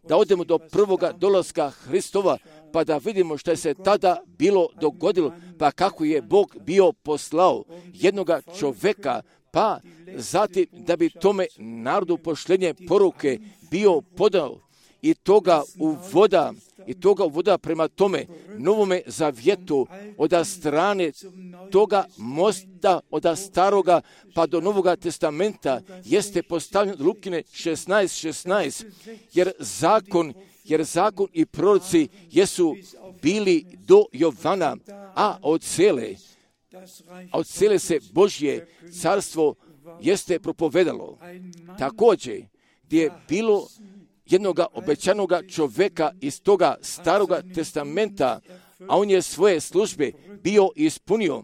da odemo do prvoga dolaska Hristova, pa da vidimo što je se tada bilo dogodilo, pa kako je Bog bio poslao jednoga čoveka, pa zatim da bi tome narodu pošljenje poruke bio podao i toga uvoda prema tome novome zavjetu od strane toga mosta od staroga pa do Novoga testamenta jeste postavljen Lukine 16:16, jer zakon i proroci jesu bili do Jovana, a od cele se Božje carstvo jeste propovedalo. Također, gdje je bilo jednoga obećanoga čoveka iz toga staroga testamenta, a on je svoje službe bio ispunio,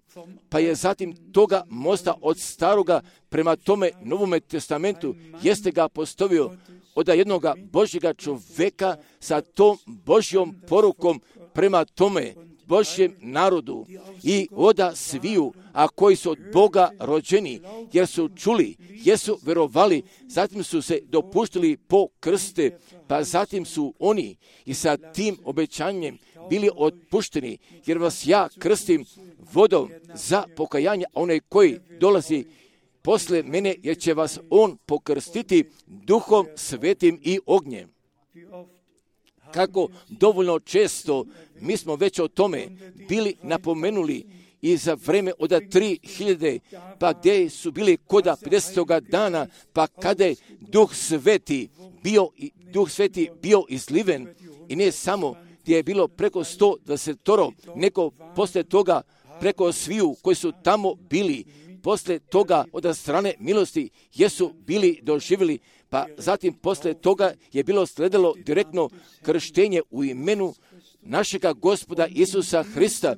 pa je zatim toga mosta od staroga prema tome Novome testamentu jeste ga postavio od jednoga Božjega čoveka sa tom Božjom porukom prema tome Božjem narodu i oda sviju, a koji su od Boga rođeni, jer su čuli, jesu verovali, zatim su se dopuštili po krste, pa zatim su oni i sa tim obećanjem bili otpušteni, jer vas ja krstim vodom za pokajanje, a onaj koji dolazi posle mene, jer će vas on pokrstiti Duhom Svetim i ognjem. kako dovoljno često mi smo već o tome bili napomenuli i za vreme od 3000, pa gdje su bili koda 50. dana, pa kada je Duh Sveti bio izliven i ne samo gdje je bilo preko 120, nego poslije toga preko sviju koji su tamo bili, poslije toga od strane milosti jesu bili doživjeli, pa zatim poslije toga je bilo sledilo direktno krštenje u imenu našega Gospoda Isusa Hrista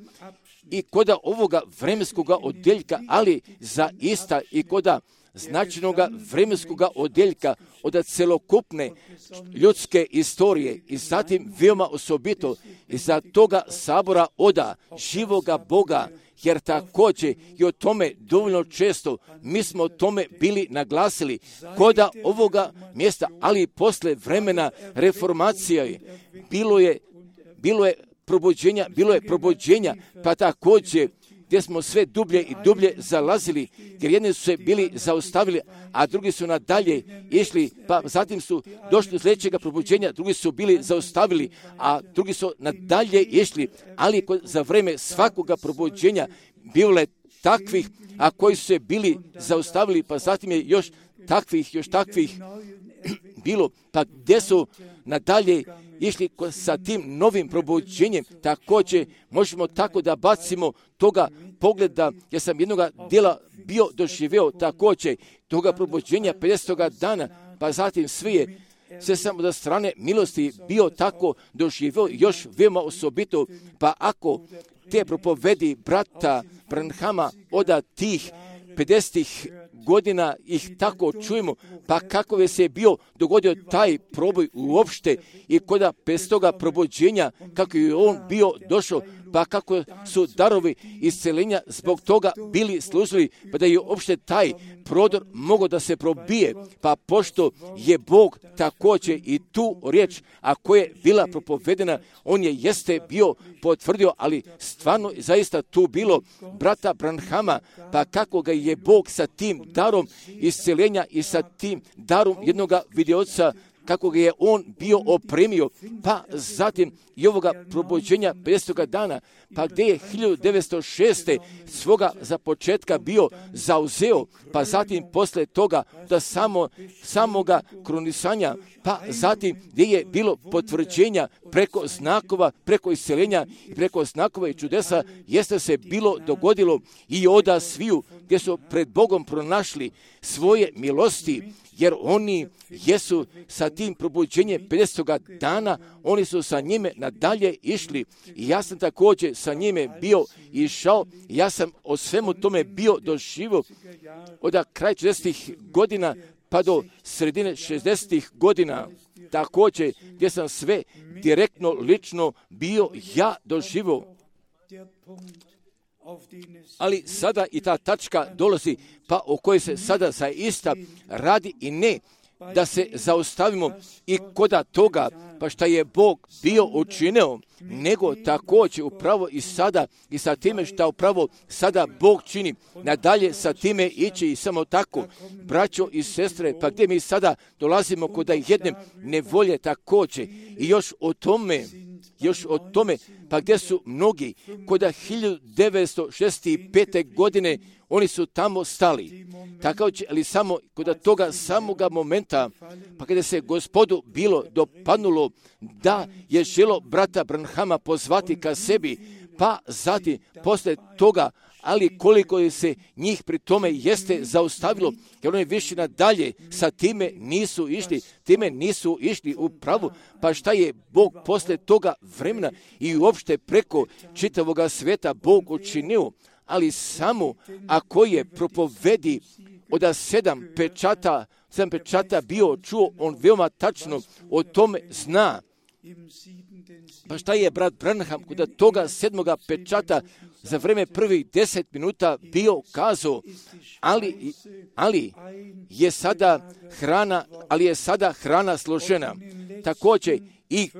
i koda ovoga vremenskoga odjeljka, ali zaista i koda značajnoga vremenskoga odjeljka od celokupne ljudske istorije i zatim veoma osobito iza toga sabora oda živoga Boga, jer također i o tome dovoljno često mi smo o tome bili naglasili koda ovoga mjesta, ali i posle vremena reformacije bilo je probuđenja, pa također gdje smo sve dublje i dublje zalazili, jer jedni su se bili zaustavili, a drugi su nadalje išli, pa zatim su došli do sljedećega probuđenja, drugi su bili zaustavili, a drugi su nadalje išli, ali za vreme svakoga probuđenja bilo je takvih, a koji su se bili zaustavili, pa zatim je još takvih bilo, pa gdje su nadalje išli sa tim novim probuđenjem. Također možemo tako da bacimo toga pogleda, jer sam jednoga dijela bio doživio također toga probuđenja 50. dana, pa zatim sve samo da strane milosti bio tako doživio još veoma osobito, pa ako te propovedi brata Branhama od tih 50 godina ih tako čujemo, pa kako je se bio dogodio taj proboj uopšte i koda bez toga probuđenja, kako je on bio došao, pa kako su darovi isceljenja zbog toga bili služili, pa da je uopšte taj prodor mogao da se probije, pa pošto je Bog također i tu riječ, a koja je bila propovedena, on jeste bio potvrdio, ali stvarno zaista tu bilo brata Branhama, pa kako ga je Bog sa tim darom isceljenja i sa tim darom jednoga vidioca, kako ga je on bio opremio, pa zatim i ovoga probuđenja 50. dana, pa gdje je 1906. svoga za početka bio zauzeo, pa zatim posle toga da samoga kronisanja, pa zatim gdje je bilo potvrđenja preko znakova, preko isceljenja i preko znakova i čudesa, jeste se bilo dogodilo i oda sviju gdje su pred Bogom pronašli svoje milosti, jer oni jesu sa tim probuđenjem 50. dana, oni su sa njime nadalje išli i ja sam također sa njime bio išao, ja sam o svemu tome bio doživio od kraja 40. godina pa do sredine 60. godina, također gdje sam sve direktno, lično bio ja doživio. Ali sada i ta tačka dolazi, pa o kojoj se sada zaista radi i ne da se zaustavimo i koda toga, pa šta je Bog bio učinio, nego također upravo i sada i sa time šta upravo sada Bog čini, nadalje sa time ići i samo tako, braćo i sestre, pa gdje mi sada dolazimo koda jedne nevolje također i još o tome, pa gdje su mnogi koda 1965. godine oni su tamo stali. Također, ali samo kod toga samoga momenta, pa kada se Gospodu bilo dopadnulo da je želo brata Branhama pozvati ka sebi, pa zatim posle toga, ali koliko je se njih pri tome jeste zaustavilo, jer oni više nadalje sa time nisu išli u pravu, pa šta je Bog posle toga vremena i uopšte preko čitavoga sveta Bog učinio, ali samo ako je propovedi od 7 pečata bio čuo, on veoma tačno o tome zna. Pa šta je brat Branham kod toga 7. pečata za vreme prvih 10 minuta bio kazao, ali je sada hrana složena. Također i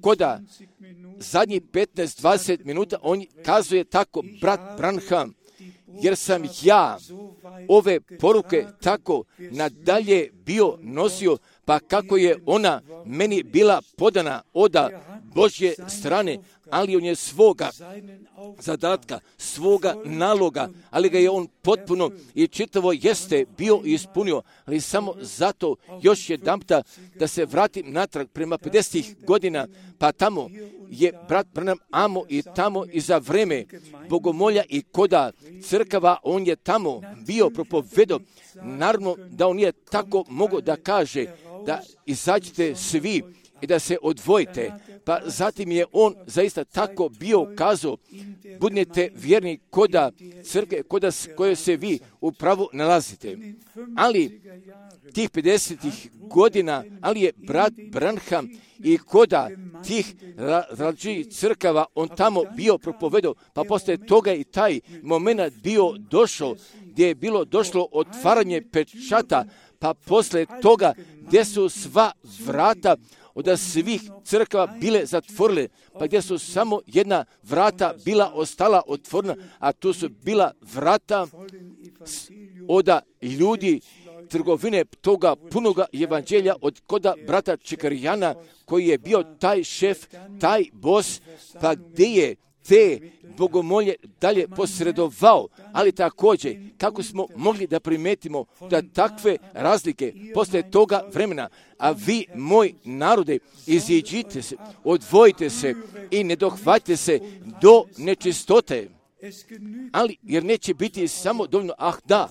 koda zadnjih 15-20 minuta on kazuje tako, brat Branham, jer sam ja ove poruke tako nadalje bio nosio, pa kako je ona meni bila podana od Božje strane, ali on je svoga zadatka, svoga naloga, ali ga je on potpuno i čitavo jeste bio ispunio, ali samo zato još jedanputa da se vratim natrag prema 50 godina, pa tamo je brat Branham amo i tamo i za vreme bogomolja i koda crkava, on je tamo bio propovedao. Naravno da on nije tako mogao da kaže da izađite svi i da se odvojite. Pa zatim je on zaista tako bio kazao, budite vjerni koda crkve, koda koje se vi upravo nalazite. Ali tih 50 godina, ali je brat Branham i koda tih različitih crkava on tamo bio propovedao, pa poslije toga i taj moment bio došao, gdje je bilo došlo otvaranje pečata, pa poslije toga gdje su sva vrata od svih crkava bile zatvorile, pa gdje su samo jedna vrata bila ostala otvorena, a tu su bila vrata od ljudi trgovine toga punoga evanđelja od koda brata Čekarijana, koji je bio taj šef, taj bos, pa gdje je te bogomolje dalje posredovao, ali također kako smo mogli da primetimo da takve razlike poslije toga vremena, a vi, moj narode, iziđite se, odvojite se i ne dohvatite se do nečistote, ali jer neće biti samo dovoljno, da,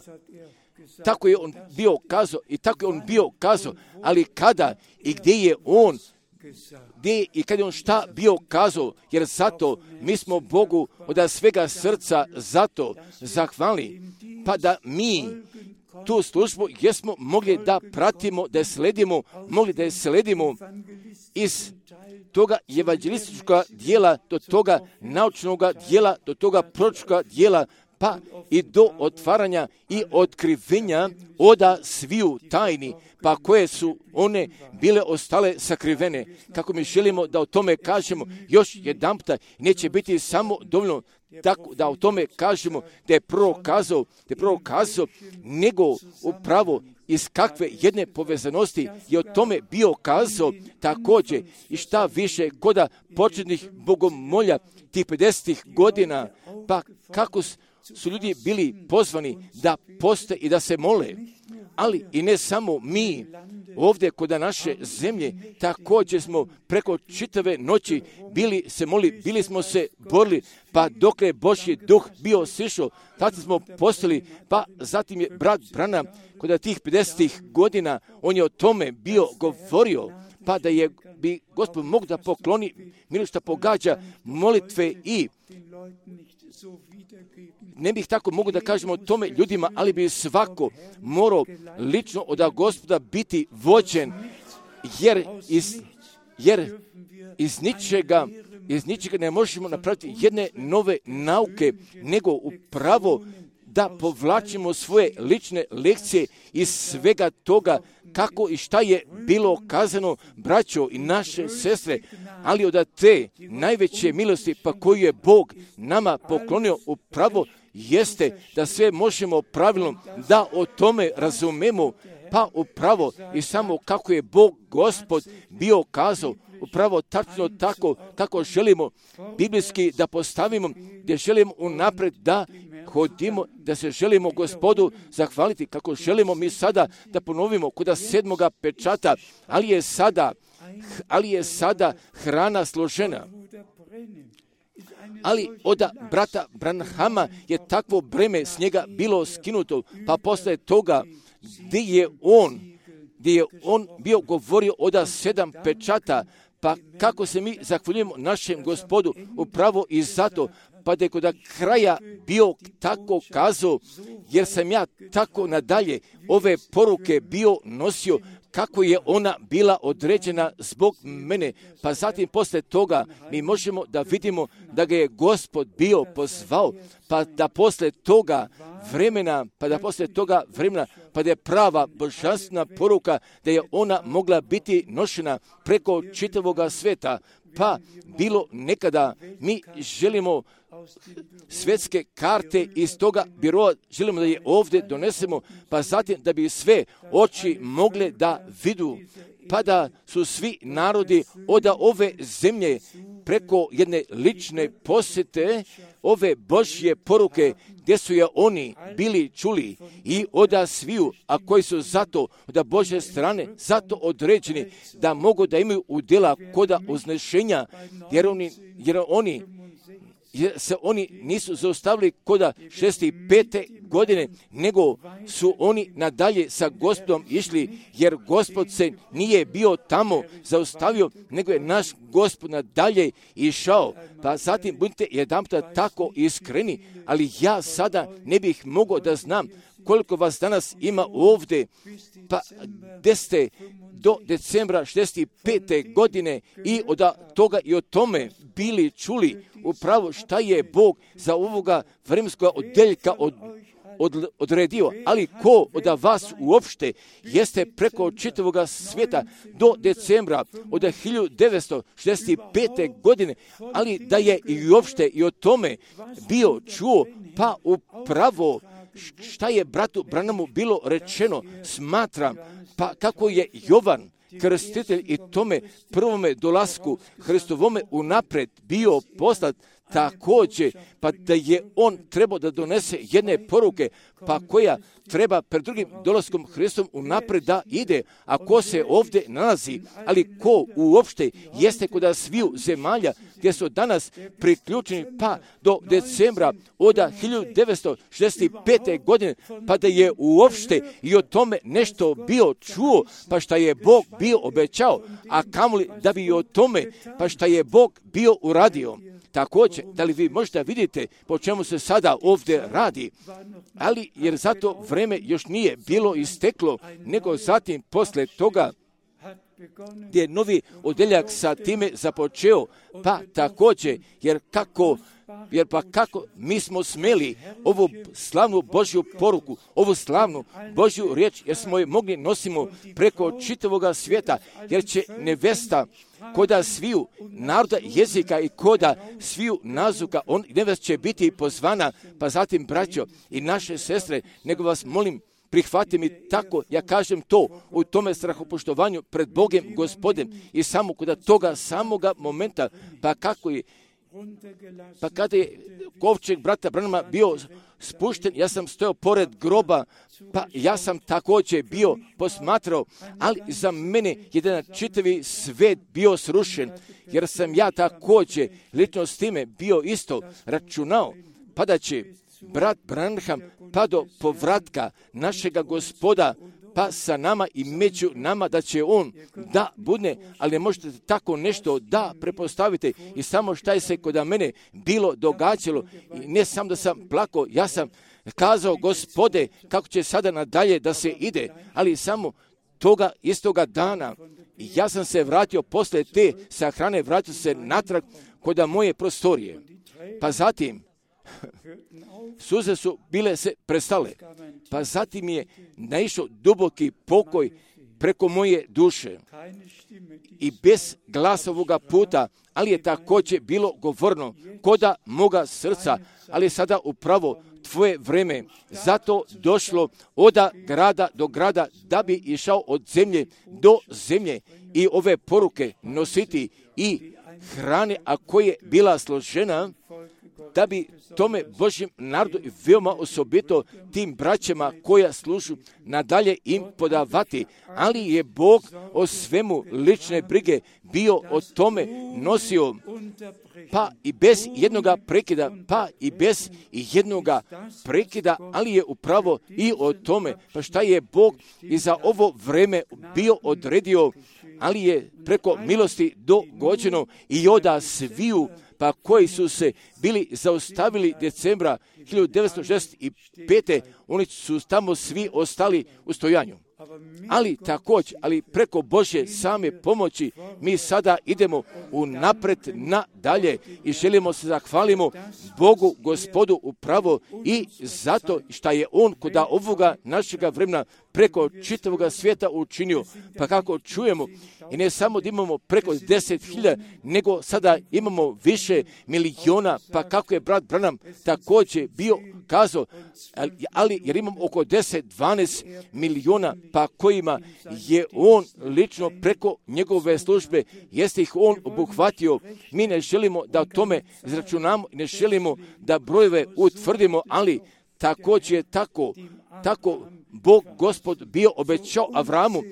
tako je on bio kazao i tako je on bio kazao, ali kada i gdje je on, gdje i kada je on šta bio kazao, jer zato mi smo Bogu od svega srca zato zahvalni, pa da mi tu službu jesmo mogli da pratimo, da je sledimo, mogli da je sledimo iz toga evanđelističkog dijela do toga naučnog dijela, do toga proročkog dijela, pa i do otvaranja i otkrivenja oda sviju tajni, pa koje su one bile ostale sakrivene. Kako mi želimo da o tome kažemo još jedanputa, neće biti samo dovoljno tako da o tome kažemo da je prorok kazao, nego upravo iz kakve jedne povezanosti je o tome bio kazao također i šta više koda početnih bogomolja tih 50 godina, pa kako su ljudi bili pozvani da poste i da se mole, ali i ne samo mi ovdje kod naše zemlje, također smo preko čitave noći bili se molili, bili smo se borili, pa dok je Božji duh bio sišao, tada smo postali, pa zatim je brat Branham kod tih 50 godina, on je o tome bio govorio, pa da je bi Gospod mogu da pokloni milost što pogađa molitve i ne bih tako mogu da kažemo o tome ljudima, ali bi svako morao lično od Gospoda biti vođen, jer iz ničega ne možemo napraviti jedne nove nauke, nego upravo da povlačimo svoje lične lekcije iz svega toga kako i šta je bilo kazano, braćo i naše sestre, ali od te najveće milosti pa koju je Bog nama poklonio upravo jeste da sve možemo pravilno da o tome razumemo, pa upravo i samo kako je Bog Gospod bio kazao, upravo tačno tako kako želimo biblijski da postavimo, gdje želimo unaprijed da hodimo, da se želimo Gospodu zahvaliti, kako želimo mi sada da ponovimo kod 7. pečata, ali je sada hrana složena. Ali od brata Branhama je takvo breme s njega bilo skinuto, pa posle toga gdje je on bio govorio od 7 pečata, pa kako se mi zahvaljujemo našem Gospodu upravo i zato, pa da je kod kraja bio tako kazao, jer sam ja tako nadalje ove poruke bio nosio, kako je ona bila određena zbog mene. Pa zatim posle toga mi možemo da vidimo da ga je Gospod bio pozvao, pa da posle toga vremena, pa da je prava božanstvena poruka, da je ona mogla biti nošena preko čitavoga sveta. Pa bilo nekada mi želimo svjetske karte iz toga biroa želimo da je ovdje donesemo, pa zatim da bi sve oči mogle da vidu, pa da su svi narodi od ove zemlje preko jedne lične posjete ove Božje poruke gdje su je oni bili čuli i od sviju, a koji su zato od Božje strane zato određeni da mogu da imaju udjela koda uznešenja, jer se oni nisu zaustavili koda 65. godine, nego su oni nadalje sa Gospodom išli, jer Gospod se nije bio tamo zaustavio, nego je naš Gospod nadalje išao. Pa zatim budite jedanputa tako iskreni, ali ja sada ne bih mogao da znam koliko vas danas ima ovdje, pa gdje ste do decembra 65. godine i od toga i o tome bili čuli upravo šta je Bog za ovoga vremenskog odjeljka odredio, ali ko od vas uopšte jeste preko čitavoga svijeta do decembra od 1965. godine, ali da je i uopšte i o tome bio čuo, pa upravo šta je bratu Branamu bilo rečeno, smatram, pa kako je Jovan krstitelj i tome prvome dolasku Hristovome unapred bio poslat također, pa da je on trebao da donese jedne poruke, pa koja treba pred drugim dolaskom Hristom unapred da ide, a ko se ovdje nalazi, ali ko uopšte jeste kod sviju zemalja gdje su danas priključeni pa do decembra od 1965. godine, pa da je uopšte i o tome nešto bio čuo, pa šta je Bog bio obećao, a kamoli da bi i o tome, pa šta je Bog bio uradio. Također, da li vi možda vidite po čemu se sada ovdje radi, ali jer zato vreme još nije bilo isteklo, nego zatim posle toga gdje je novi odjeljak sa time započeo, pa također, jer kako mi smo smeli ovu slavnu Božju poruku, ovu slavnu Božju riječ, jer smo je mogli nosimo preko čitavoga svijeta, jer će nevesta koda sviju naroda jezika i koda sviju nazuka, nevest će biti pozvana, pa zatim braćo i naše sestre, nego vas molim, prihvati mi tako, ja kažem to, u tome strahopoštovanju pred Bogem Gospodem i samo kod toga samoga momenta, pa kada je kovčeg brata Branama bio spušten, ja sam stojao pored groba, pa ja sam također bio posmatrao, ali za mene jedan čitavi svet bio srušen, jer sam ja također lično s time bio isto računao, pa da će brat Branham pa do povratka našega Gospoda pa sa nama i među nama da će on da bude, ali ne možete tako nešto da prepostavite i samo šta je se kod mene bilo događalo i ne samo da sam plakao, ja sam kazao Gospode kako će sada nadalje da se ide, ali samo toga istoga dana ja sam se vratio posle te sahrane, vratio se natrag kod moje prostorije, pa zatim suze su bile se prestale, pa zatim je naišao duboki pokoj preko moje duše i bez glasa ovoga puta, ali je također bilo govorno koda moga srca, ali je sada upravo tvoje vreme zato došlo od grada do grada da bi išao od zemlje do zemlje i ove poruke nositi i hrane, a koja je bila složena, da bi tome Božjem narodu i veoma osobito tim braćama koja služu nadalje im podavati, ali je Bog o svemu lične brige bio o tome nosio, pa i bez jednoga prekida, ali je upravo i o tome, pa šta je Bog i za ovo vreme bio odredio, ali je preko milosti dogođeno i od sviju, pa koji su se bili zaustavili decembra 1965. oni su tamo svi ostali u stojanju. Ali preko Božje same pomoći mi sada idemo unapred nadalje i želimo se zahvalimo Bogu Gospodu upravo i zato što je On kod ovoga našega vremena preko čitavoga svijeta učinio. Pa kako čujemo I ne samo da imamo preko 10.000, nego sada imamo više miliona, pa kako je brat Branham također bio kazao, ali jer imamo oko 10-12 miliona, pa kojima je on lično preko njegove službe, jeste ih on obuhvatio. Mi ne želimo da o tome izračunamo, ne želimo da brojeve utvrdimo, ali također je tako Bog Gospod bio obećao Avramu,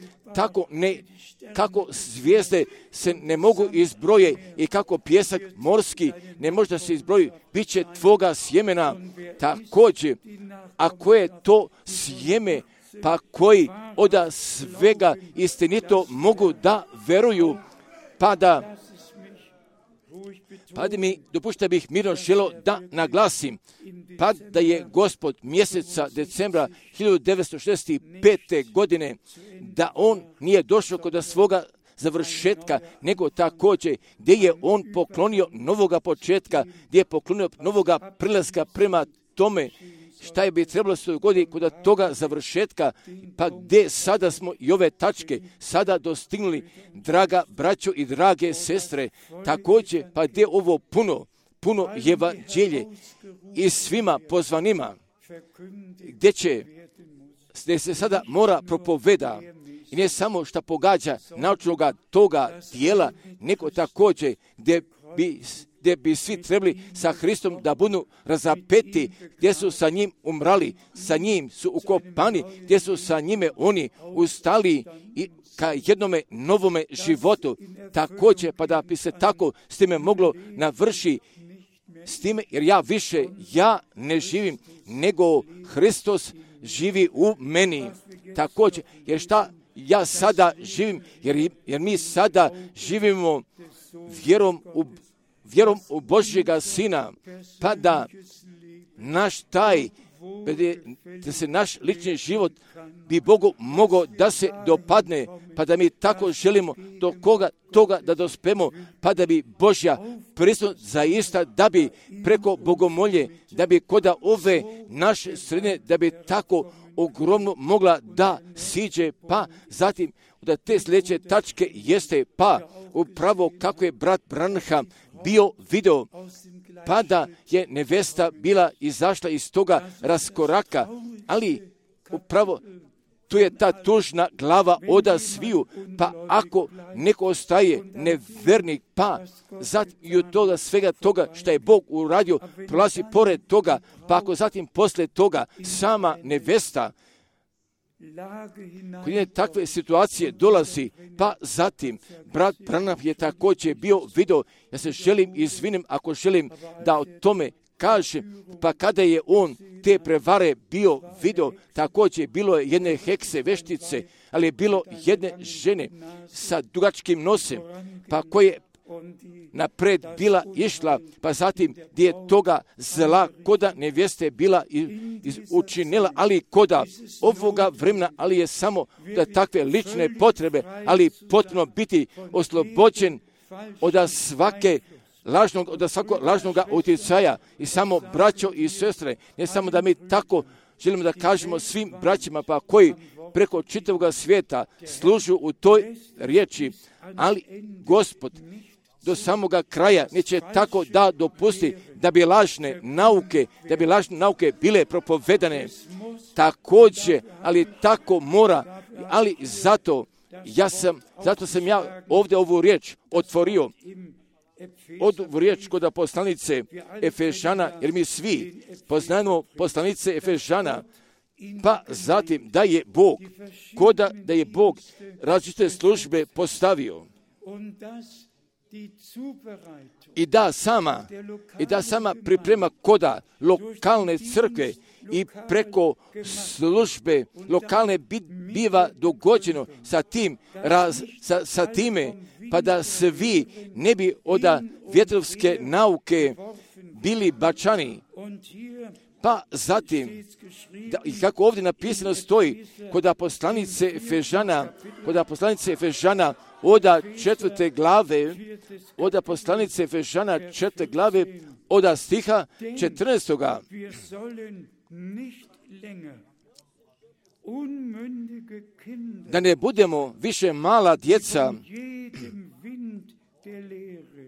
kako zvijezde se ne mogu izbroje i kako pjesak morski ne može da se izbroji, bit će tvoga sjemena. Također, ako je to sjeme, pa koji od svega istinito mogu da veruju, pa da mi dopušta bih mirno želo da naglasim, pa da je Gospod mjeseca decembra 1965. godine, da on nije došao kod svoga završetka, nego također gdje je on poklonio novoga početka, gdje je poklonio novoga prilaska prema tome šta je bi trebalo se dogoditi kod toga završetka, pa gdje sada smo i ove tačke sada dostignuli, draga braćo i drage sestre, također pa gdje ovo puno evanđelje i svima pozvanima, gdje se sada mora propoveda, i ne samo što pogađa naučnoga toga tijela, nego također gdje bi svi trebali sa Hristom da budu razapeti, gdje su sa njim umrali, sa njim su ukopani, gdje su sa njime oni ustali i ka jednome novome životu. Također, pa da bi se tako s time moglo navrši, s time, jer ja ne živim, nego Hristos živi u meni. Također, jer šta ja sada živim, jer mi sada živimo vjerom u Božjega Sina, pa da da se naš lični život bi Bogu mogao da se dopadne, pa da mi tako želimo do toga da dospemo, pa da bi Božja prisutnost zaista, da bi preko bogomolje, da bi kod ove naše sredine, da bi tako ogromno mogla da siđe, pa zatim da te sljedeće tačke jeste, pa upravo kako je brat Branham bio video, pa da je nevesta bila izašla iz toga raskoraka, ali upravo tu je ta tužna glava oda sviju, pa ako neko ostaje nevernik, pa zatim i od toga svega toga što je Bog uradio, prolazi pored toga, pa ako zatim posle toga sama nevesta kod je takve situacije dolazi, pa zatim brat Branham je također bio video, ja se želim izvinim ako želim da o tome kažem, pa kada je on te prevare bio video, također bilo je jedne hekse veštice, ali je bilo jedne žene sa dugačkim nosem, pa koje napred bila išla, pa zatim gdje je toga zla koda nevjeste bila učinila, ali koda ovoga vremena, ali je samo da takve lične potrebe, ali potpuno biti oslobođen od svakog lažnog utjecaja. I samo braćo i sestre, ne samo da mi tako želimo da kažemo svim braćima, pa koji preko čitavog svijeta služu u toj riječi, ali Gospod do samoga kraja neće tako da dopusti da bi lažne nauke bile propovedane. Također, ali tako mora, ali zato sam ja ovdje ovu riječ otvorio, ovu riječ kod poslanice Efežana, jer mi svi poznajemo poslanice Efežana, pa zatim da je Bog različite službe postavio. I da sama priprema koda lokalne crkve i preko službe lokalne biva dogođeno sa time, pa da svi ne bi od vjetrovske nauke bili bačani. Pa zatim, i kako ovdje napisano stoji, kod poslanice Efežana, od 4. glave, od stiha 14. da ne budemo više mala djeca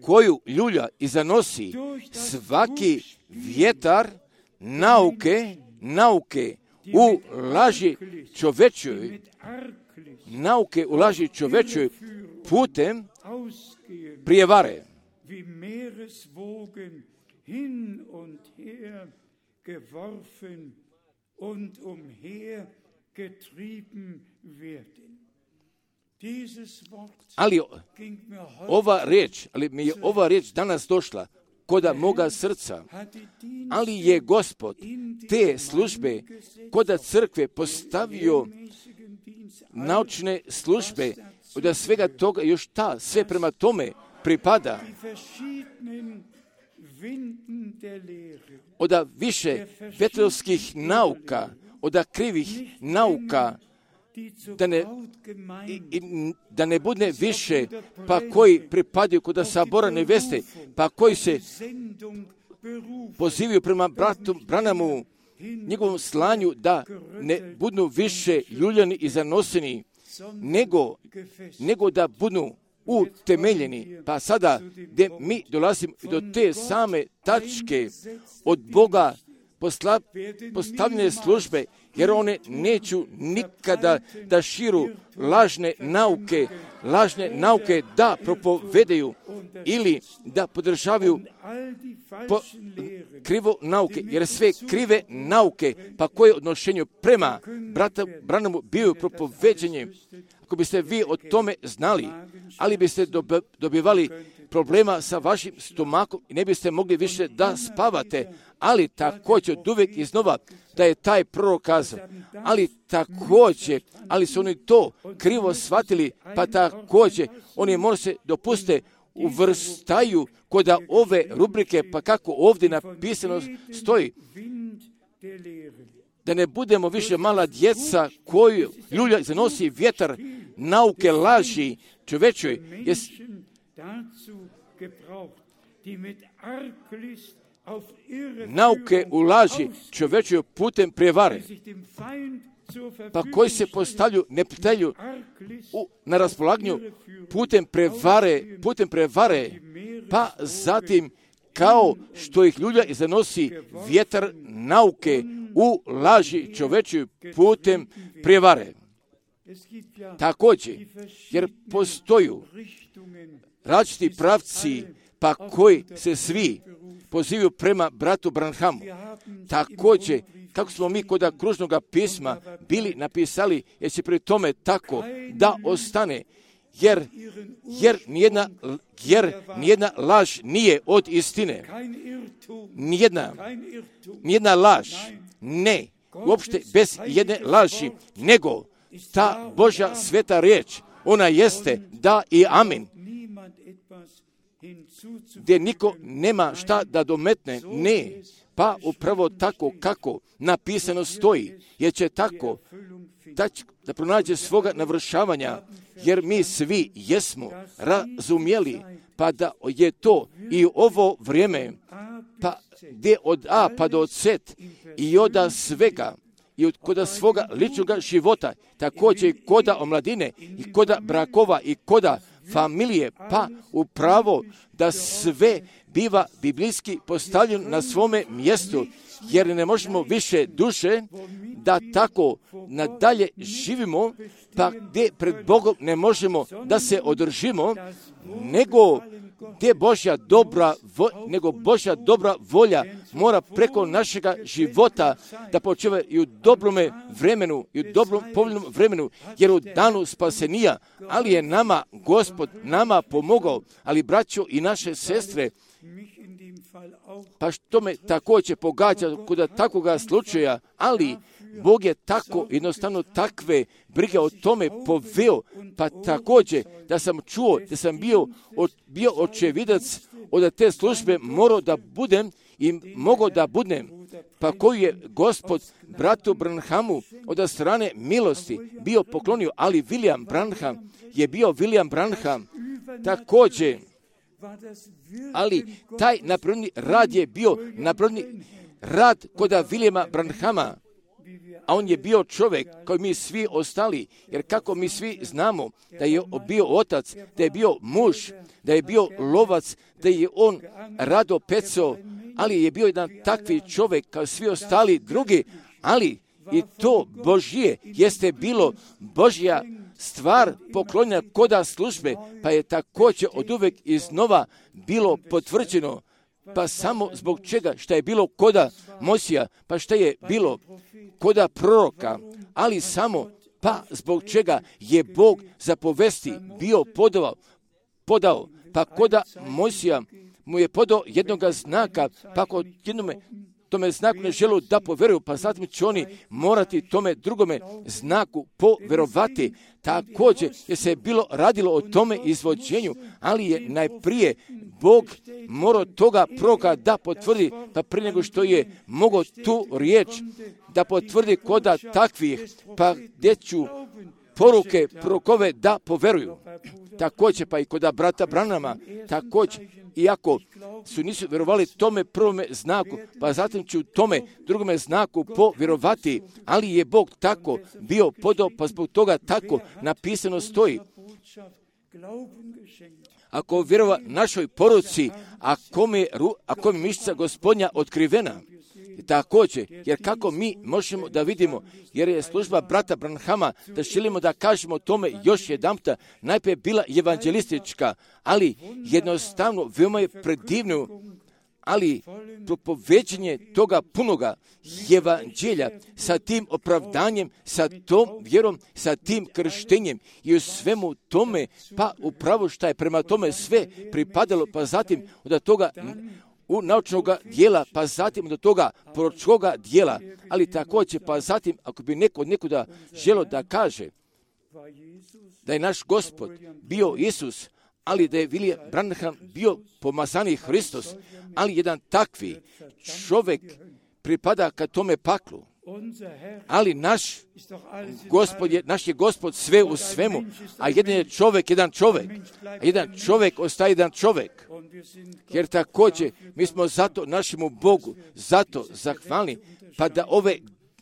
koju ljulja i zanosi svaki vjetar nauke u laži čovečoj, nauke u laži čovečoj putem prijevare. Ali mi je ova riječ danas došla koda moga srca, ali je Gospod te službe koda crkve postavio naučne službe, od svega toga još sve prema tome pripada. Od više vetrovskih nauka, od krivih nauka, da ne bude više, pa koji pripadaju kod sabora neveste, pa koji se pozivaju prema bratu Branhamu, njegovom slanju, da ne budu više ljuljani i zanoseni, nego da budu utemeljeni. Pa sada, gdje mi dolazimo do te same tačke od Boga postavljene službe, jer one neću nikada da širu lažne nauke da propovedaju ili da podržavaju krivo nauke, jer sve krive nauke, pa koje odnošenju prema brata Branhamu bio propoveđenje, ako biste vi o tome znali, ali biste dobivali problema sa vašim stomakom i ne biste mogli više da spavate, ali također od uvijek iznova da je taj prorok kazao, ali su oni to krivo shvatili, pa također oni možda se dopuste uvrstaju kod ove rubrike, pa kako ovdje napisano stoji, da ne budemo više mala djeca koju ljulja zanosi vjetar nauke laži čovečoj, nauke u laži čovečoj putem prijevare, pa koji se postavljaju neprijatelju na raspolaganju putem prevare, pa zatim kao što ih ljulja zanosi vjetar nauke u laži čovečoj putem prijevare. Također, jer postoju različiti pravci, pa koji se svi pozivaju prema bratu Branhamu. Također, kako smo mi kod kružnog pisma bili napisali, jer se pri tome tako da ostane, jer nijedna laž nije od istine. Nijedna laž, ne, uopšte bez jedne laži, nego ta Božja sveta riječ, ona jeste da i amin, gdje niko nema šta da dometne, ne, pa upravo tako kako napisano stoji, jer će tako da pronađe svoga navršavanja, jer mi svi jesmo razumjeli, pa da je to i ovo vrijeme, pa gdje od A pa do Z i od svega, i koda svoga ličnog života, također koda omladine i koda brakova i koda familije, pa upravo da sve biva biblijski postavljen na svome mjestu, jer ne možemo više duše da tako nadalje živimo, pa gdje pred Bogom ne možemo da se održimo, nego gdje Božja dobra volja mora preko našega života da počeva i u dobrome vremenu, i u dobrom povoljnom vremenu, jer u danu spasenija, ali je nama Gospod pomogao, ali braćo i naše sestre, pa što me također pogađa kod takvoga slučaja, ali Bog je tako jednostavno takve brige o tome poveo, pa također da sam čuo, da sam bio očevidac od te službe morao da budem i mogao da budem, pa koju je Gospod bratu Branhamu od strane milosti bio poklonio, ali William Branham je bio William Branham također, ali taj napravljeni rad je bio napravljeni rad kod Williama Branhama, a on je bio čovjek kao mi svi ostali, jer kako mi svi znamo da je bio otac, da je bio muž, da je bio lovac, da je on rado pecao, ali je bio jedan takvi čovjek kao svi ostali drugi, ali i to Božje jeste bilo Božja stvar poklonjena koda službe, pa je također od uvek iznova bilo potvrđeno. Pa samo zbog čega, šta je bilo koda Mojsija, pa šta je bilo koda proroka, ali samo pa zbog čega je Bog zapovesti bio podao, pa koda Mojsija mu je podao jednoga znaka, pa kod jednome tome znaku ne želu da poveruju, pa zatim će oni morati tome drugome znaku poverovati. Također je se bilo radilo o tome izvođenju, ali je najprije Bog morao toga proroka da potvrdi, pa prije nego što je mogao tu riječ da potvrdi koda takvih, pa gdje ću poruke prorokove da poveruju. Također pa i koda brata Branhama, također, iako nisu vjerovali tome prvome znaku, pa zatim ću tome drugome znaku povjerovati, ali je Bog tako bio podao, pa zbog toga tako napisano stoji. Ako vjerova našoj poruci, ako mi mišica Gospodnja otkrivena, također, jer kako mi možemo da vidimo, jer je služba brata Branhama, da želimo da kažemo tome još jedanputa, najprije bila evanđelistička, ali jednostavno veoma je predivno, ali propoveđenje toga punoga evanđelja sa tim opravdanjem, sa tom vjerom, sa tim krštenjem i u svemu tome, pa upravo šta je prema tome sve pripadalo, pa zatim od toga u naučnog dijela, pa zatim do toga proročkog dijela, ali također, pa zatim, ako bi neko od nekuda želo da kaže da je naš Gospod bio Isus, ali da je William Branham bio pomazani Hristos, ali jedan takvi čovjek pripada ka tome paklu. Ali naš je Gospod sve u svemu, a jedan je čovjek, jedan čovjek ostaje jedan čovjek. Jer također mi smo zato našemu Bogu, zato zahvalni, pa da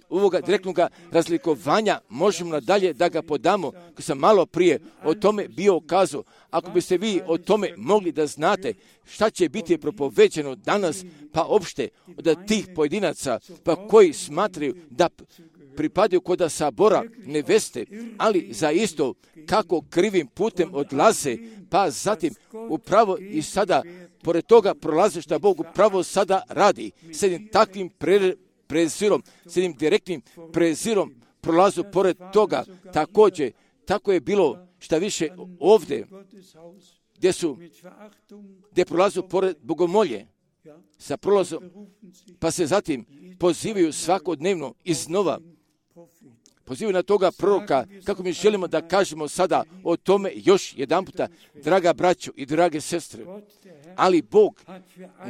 ovoga direktnog razlikovanja možemo nadalje da ga podamo, ko sam malo prije o tome bio kazao. Ako biste vi o tome mogli da znate šta će biti propoveđeno danas, pa opšte od tih pojedinaca, pa koji smatraju da pripadaju koda sabora neveste, ali za isto kako krivim putem odlaze, pa zatim upravo i sada, pored toga prolaze šta Bog upravo sada radi, s jednim takvim prezirom, s jednim direktnim prezirom prolazu pored toga. Također, tako je bilo šta više ovdje, gdje prolazu pored bogomolje, sa prolazom, pa se zatim pozivaju svakodnevno iznova, pozivaju na toga proroka, kako mi želimo da kažemo sada o tome još jedanputa, draga braćo i drage sestre. Ali Bog,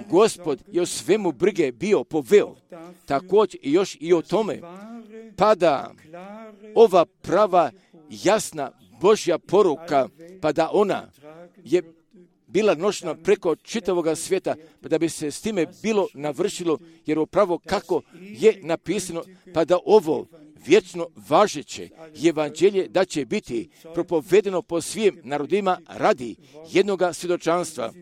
Gospod, je o svemu brige bio poveo, također i još i o tome, pa da ova prava, jasna Božja poruka, pa da ona je bila nošena preko čitavoga svijeta, pa da bi se s time bilo navršilo, jer upravo kako je napisano, pa da ovo vječno važeće evanđelje da će biti propovedeno po svim narodima radi jednoga svjedočanstva.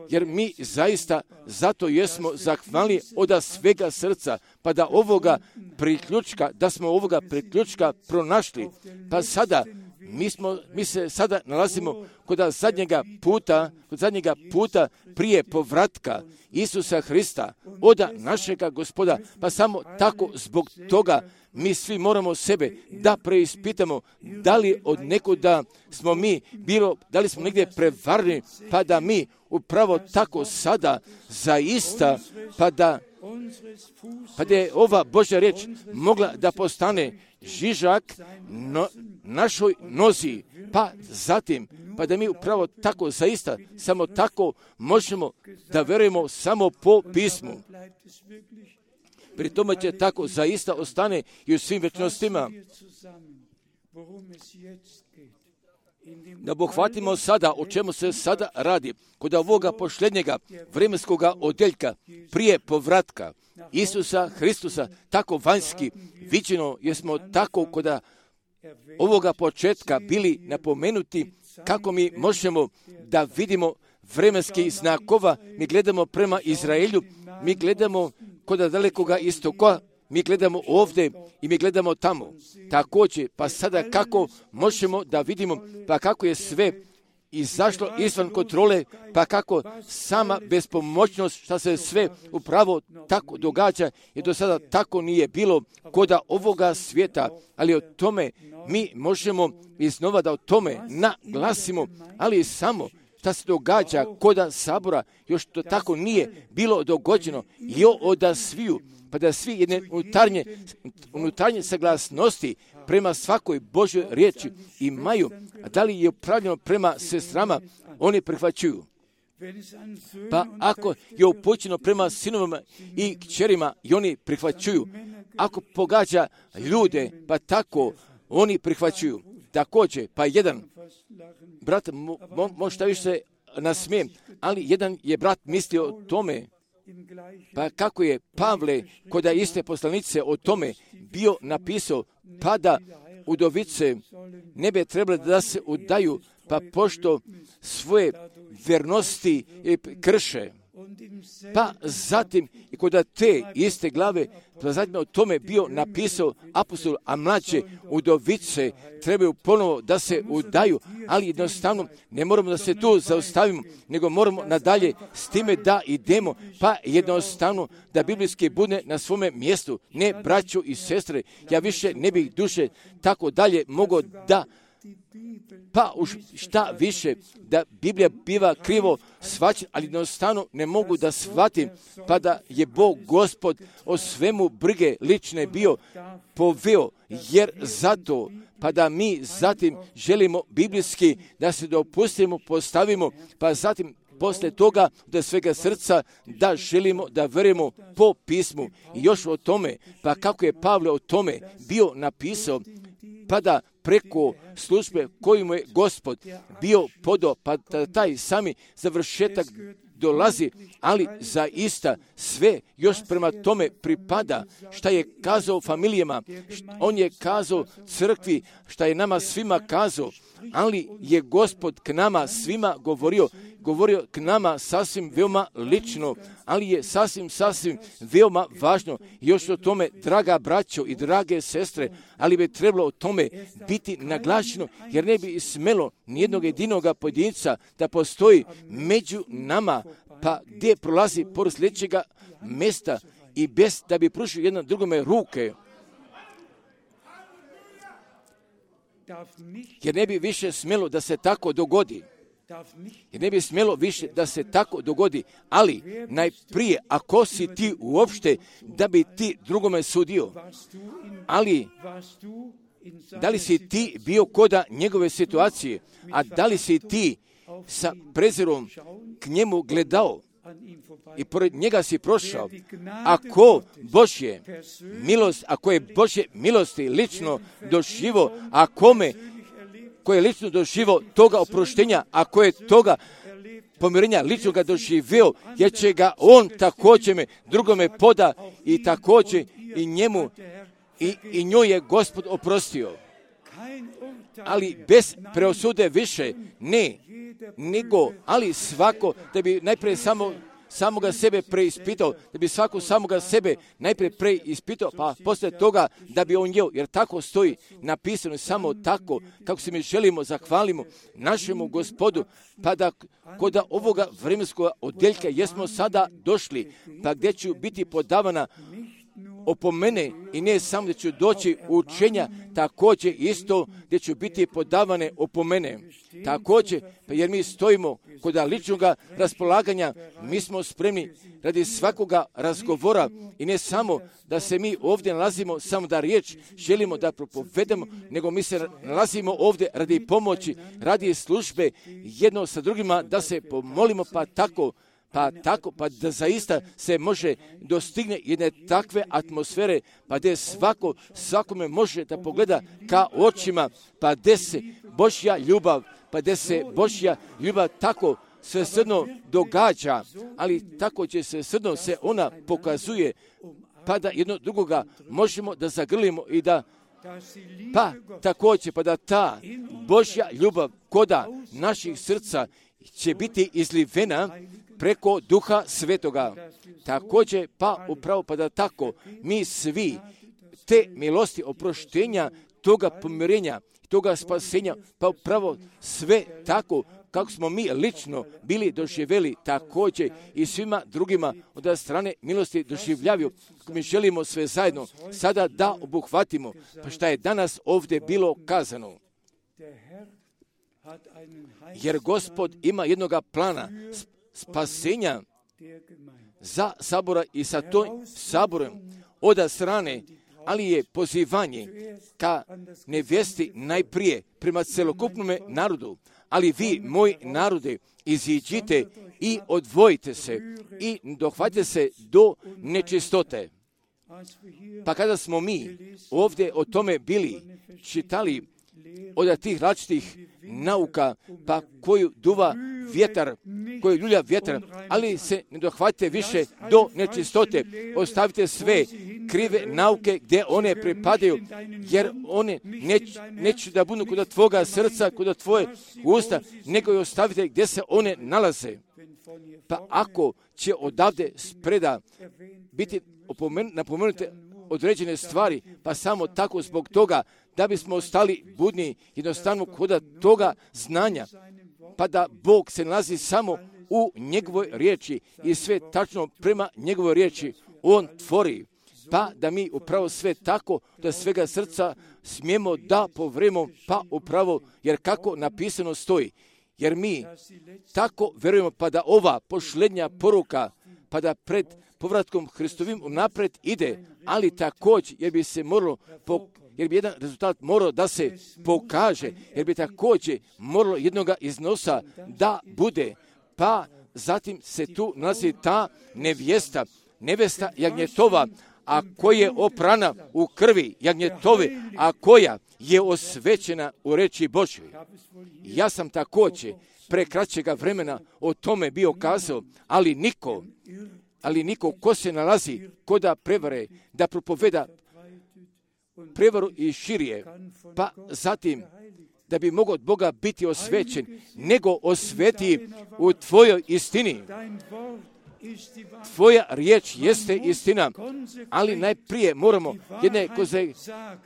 Jer mi zaista zato jesmo zahvalni od svega srca, pa da smo ovoga priključka pronašli, pa sada mi se sada nalazimo kod zadnjega puta prije povratka Isusa Hrista, od našega Gospoda, pa samo tako zbog toga mi svi moramo sebe da preispitamo da li od nekuda smo mi da li smo negdje prevarni, pa da mi upravo tako sada zaista, pa da je ova Božja riječ mogla da postane žižak našoj nozi, pa zatim, pa da mi upravo tako zaista, samo tako možemo da verujemo samo po pismu. Pri tome će tako zaista ostane i u svim večnostima. da pohvatimo sada o čemu se sada radi kod ovoga posljednjega vremenskoga odjeljka prije povratka Isusa Hristusa, tako vanjski viđeno, jer smo tako kod ovoga početka bili napomenuti kako mi možemo da vidimo vremenskih znakova. Mi gledamo prema Izraelju, mi gledamo kod dalekoga istoka, mi gledamo ovdje i mi gledamo tamo. Također, pa sada kako možemo da vidimo, pa kako je sve izašlo izvan kontrole, pa kako sama bespomoćnost, šta se sve upravo tako događa, jer do sada tako nije bilo koda ovoga svijeta, ali o tome mi možemo iznova da o tome naglasimo, ali samo šta se događa koda sabora, još to tako nije bilo dogođeno, i od sviju, pa da svi jedne unutarnje saglasnosti prema svakoj Božoj riječi imaju, a da li je upravljeno prema sestrama, oni prihvaćuju. Pa ako je upućeno prema sinovima i kćerima, i oni prihvaćuju. Ako pogađa ljude, pa tako oni prihvaćuju. Također, pa jedan brat, možda više se nasmijem, ali jedan je brat mislio o tome, pa kako je Pavle kod iste poslanice o tome bio napisao, pa da udovice ne bi trebali da se udaju, pa pošto svoje vernosti krše. Pa zatim i kod te iste glave, pa zatim o tome bio napisao apostol, a mlađe udovice trebaju ponovo da se udaju, ali jednostavno ne moramo da se tu zaustavimo, nego moramo nadalje s time da idemo, pa jednostavno da biblijski bude na svome mjestu. Ne, braćo i sestre, ja više ne bih duše tako dalje mogao da pa už šta više da Biblija biva krivo shvaćena, ali jednostavno ne mogu da shvatim, pa da je Bog Gospod o svemu brige lične bio poveo, jer zato pa da mi zatim želimo biblijski da se dopustimo, postavimo, pa zatim poslije toga da svega srca da želimo da verujemo po pismu. I još o tome, pa kako je Pavle o tome bio napisao, pa da preko službe koju mu je Gospod bio podao, pa da taj sami završetak dolazi, ali zaista sve još prema tome pripada šta je kazao familijama, on je kazao crkvi, šta je nama svima kazao, ali je Gospod k nama svima govorio k nama sasvim veoma lično, ali je sasvim veoma važno. Još o tome, draga braćo i drage sestre, ali bi trebalo o tome biti naglašeno, jer ne bi smelo nijednog jedinoga pojedinca da postoji među nama, pa gdje prolazi pored sljedećega mjesta i bez da bi pružio jedan drugome ruke. Jer ne bi više smjelo da se tako dogodi. Jer ne bi smjelo više da se tako dogodi, ali najprije, ako si ti uopšte da bi ti drugome sudio, ali da li si ti bio koda njegove situacije, a da li si ti sa prezirom k njemu gledao i pored njega si prošao, ako je Božje milosti lično doživo, a kome ko je lično doživio toga oproštenja, ako je toga pomirenja lično ga doživio, jer će ga on također drugome poda i također i njemu i njoj je Gospod oprostio. Ali bez preosude više ne, nego, ali svako da bi najprije samoga sebe preispitao, da bi svako samoga sebe najprije preispitao, pa poslije toga da bi on jeo, jer tako stoji napisano, samo tako kako se mi želimo, zahvalimo našemu Gospodu, pa da kod ovoga vremenskog odjeljka jesmo sada došli, pa gdje ću biti podavana opomene i ne samo da ću doći u učenja, također isto gdje ću biti podavane opomene. Također, pa jer mi stojimo kod ličnog raspolaganja, mi smo spremni radi svakoga razgovora i ne samo da se mi ovdje nalazimo samo da riječ želimo da propovedemo, nego mi se nalazimo ovdje radi pomoći, radi službe jedno sa drugima da se pomolimo, pa da zaista se može dostigne jedne takve atmosfere, pa gdje svakome može da pogleda ka očima, pa gdje se Božja ljubav, pa da se Božja ljubav tako svesrdno događa, ali tako će svesrdno se ona pokazuje, pa da jedno drugoga možemo da zagrlimo i da pa također, pa da ta Božja ljubav koda naših srca će biti izlivena preko Duha Svetoga. Također, pa upravo, pa da tako mi svi te milosti oproštenja, toga pomirenja, toga spasenja, pa upravo sve tako kako smo mi lično bili doživjeli, također i svima drugima od strane milosti doživljavaju. Mi želimo sve zajedno sada da obuhvatimo, pa šta je danas ovdje bilo kazano. Jer Gospod ima jednoga plana spasenja za sabora i sa to saborom od strane, ali je pozivanje ka nevjesti najprije prema celokupnome narodu. Ali vi, moji narode, iziđite i odvojite se i dohvatite se do nečistote. Pa kada smo mi ovdje o tome bili čitali od tih različitih nauka, pa koju duva vjetar, koju ljulja vjetar, ali se ne dohvatite više do nečistote. Ostavite sve krive nauke gdje one pripadaju, jer one neće da budu kod tvoga srca, kod tvoje usta, nego je ostavite gdje se one nalaze. Pa ako će odavde spreda biti napomenute određene stvari, pa samo tako zbog toga da bismo ostali budni, jednostavno kod toga znanja, pa da Bog se nalazi samo u njegovoj riječi i sve tačno prema njegovoj riječi on tvori, pa da mi upravo sve tako da svega srca smijemo da povremo, pa upravo, jer kako napisano stoji, jer mi tako vjerujemo, pa da ova posljednja poruka, pa da pred povratkom Hristovim unaprijed ide, ali također jer bi se moralo, jer bi jedan rezultat morao da se pokaže, jer bi također moralo jednoga iznosa da bude, pa zatim se tu nalazi ta nevjesta jagnjetova, a koja je oprana u krvi jagnjetove, a koja je osvećena u reči Božjoj. Ja sam također pre kraćega vremena o tome bio kazao, ali niko ko se nalazi koda prevare, da propoveda prevaru i širije, pa zatim da bi mogao od Boga biti osvećen, nego osveti u tvojoj istini. Tvoja riječ jeste istina, ali najprije moramo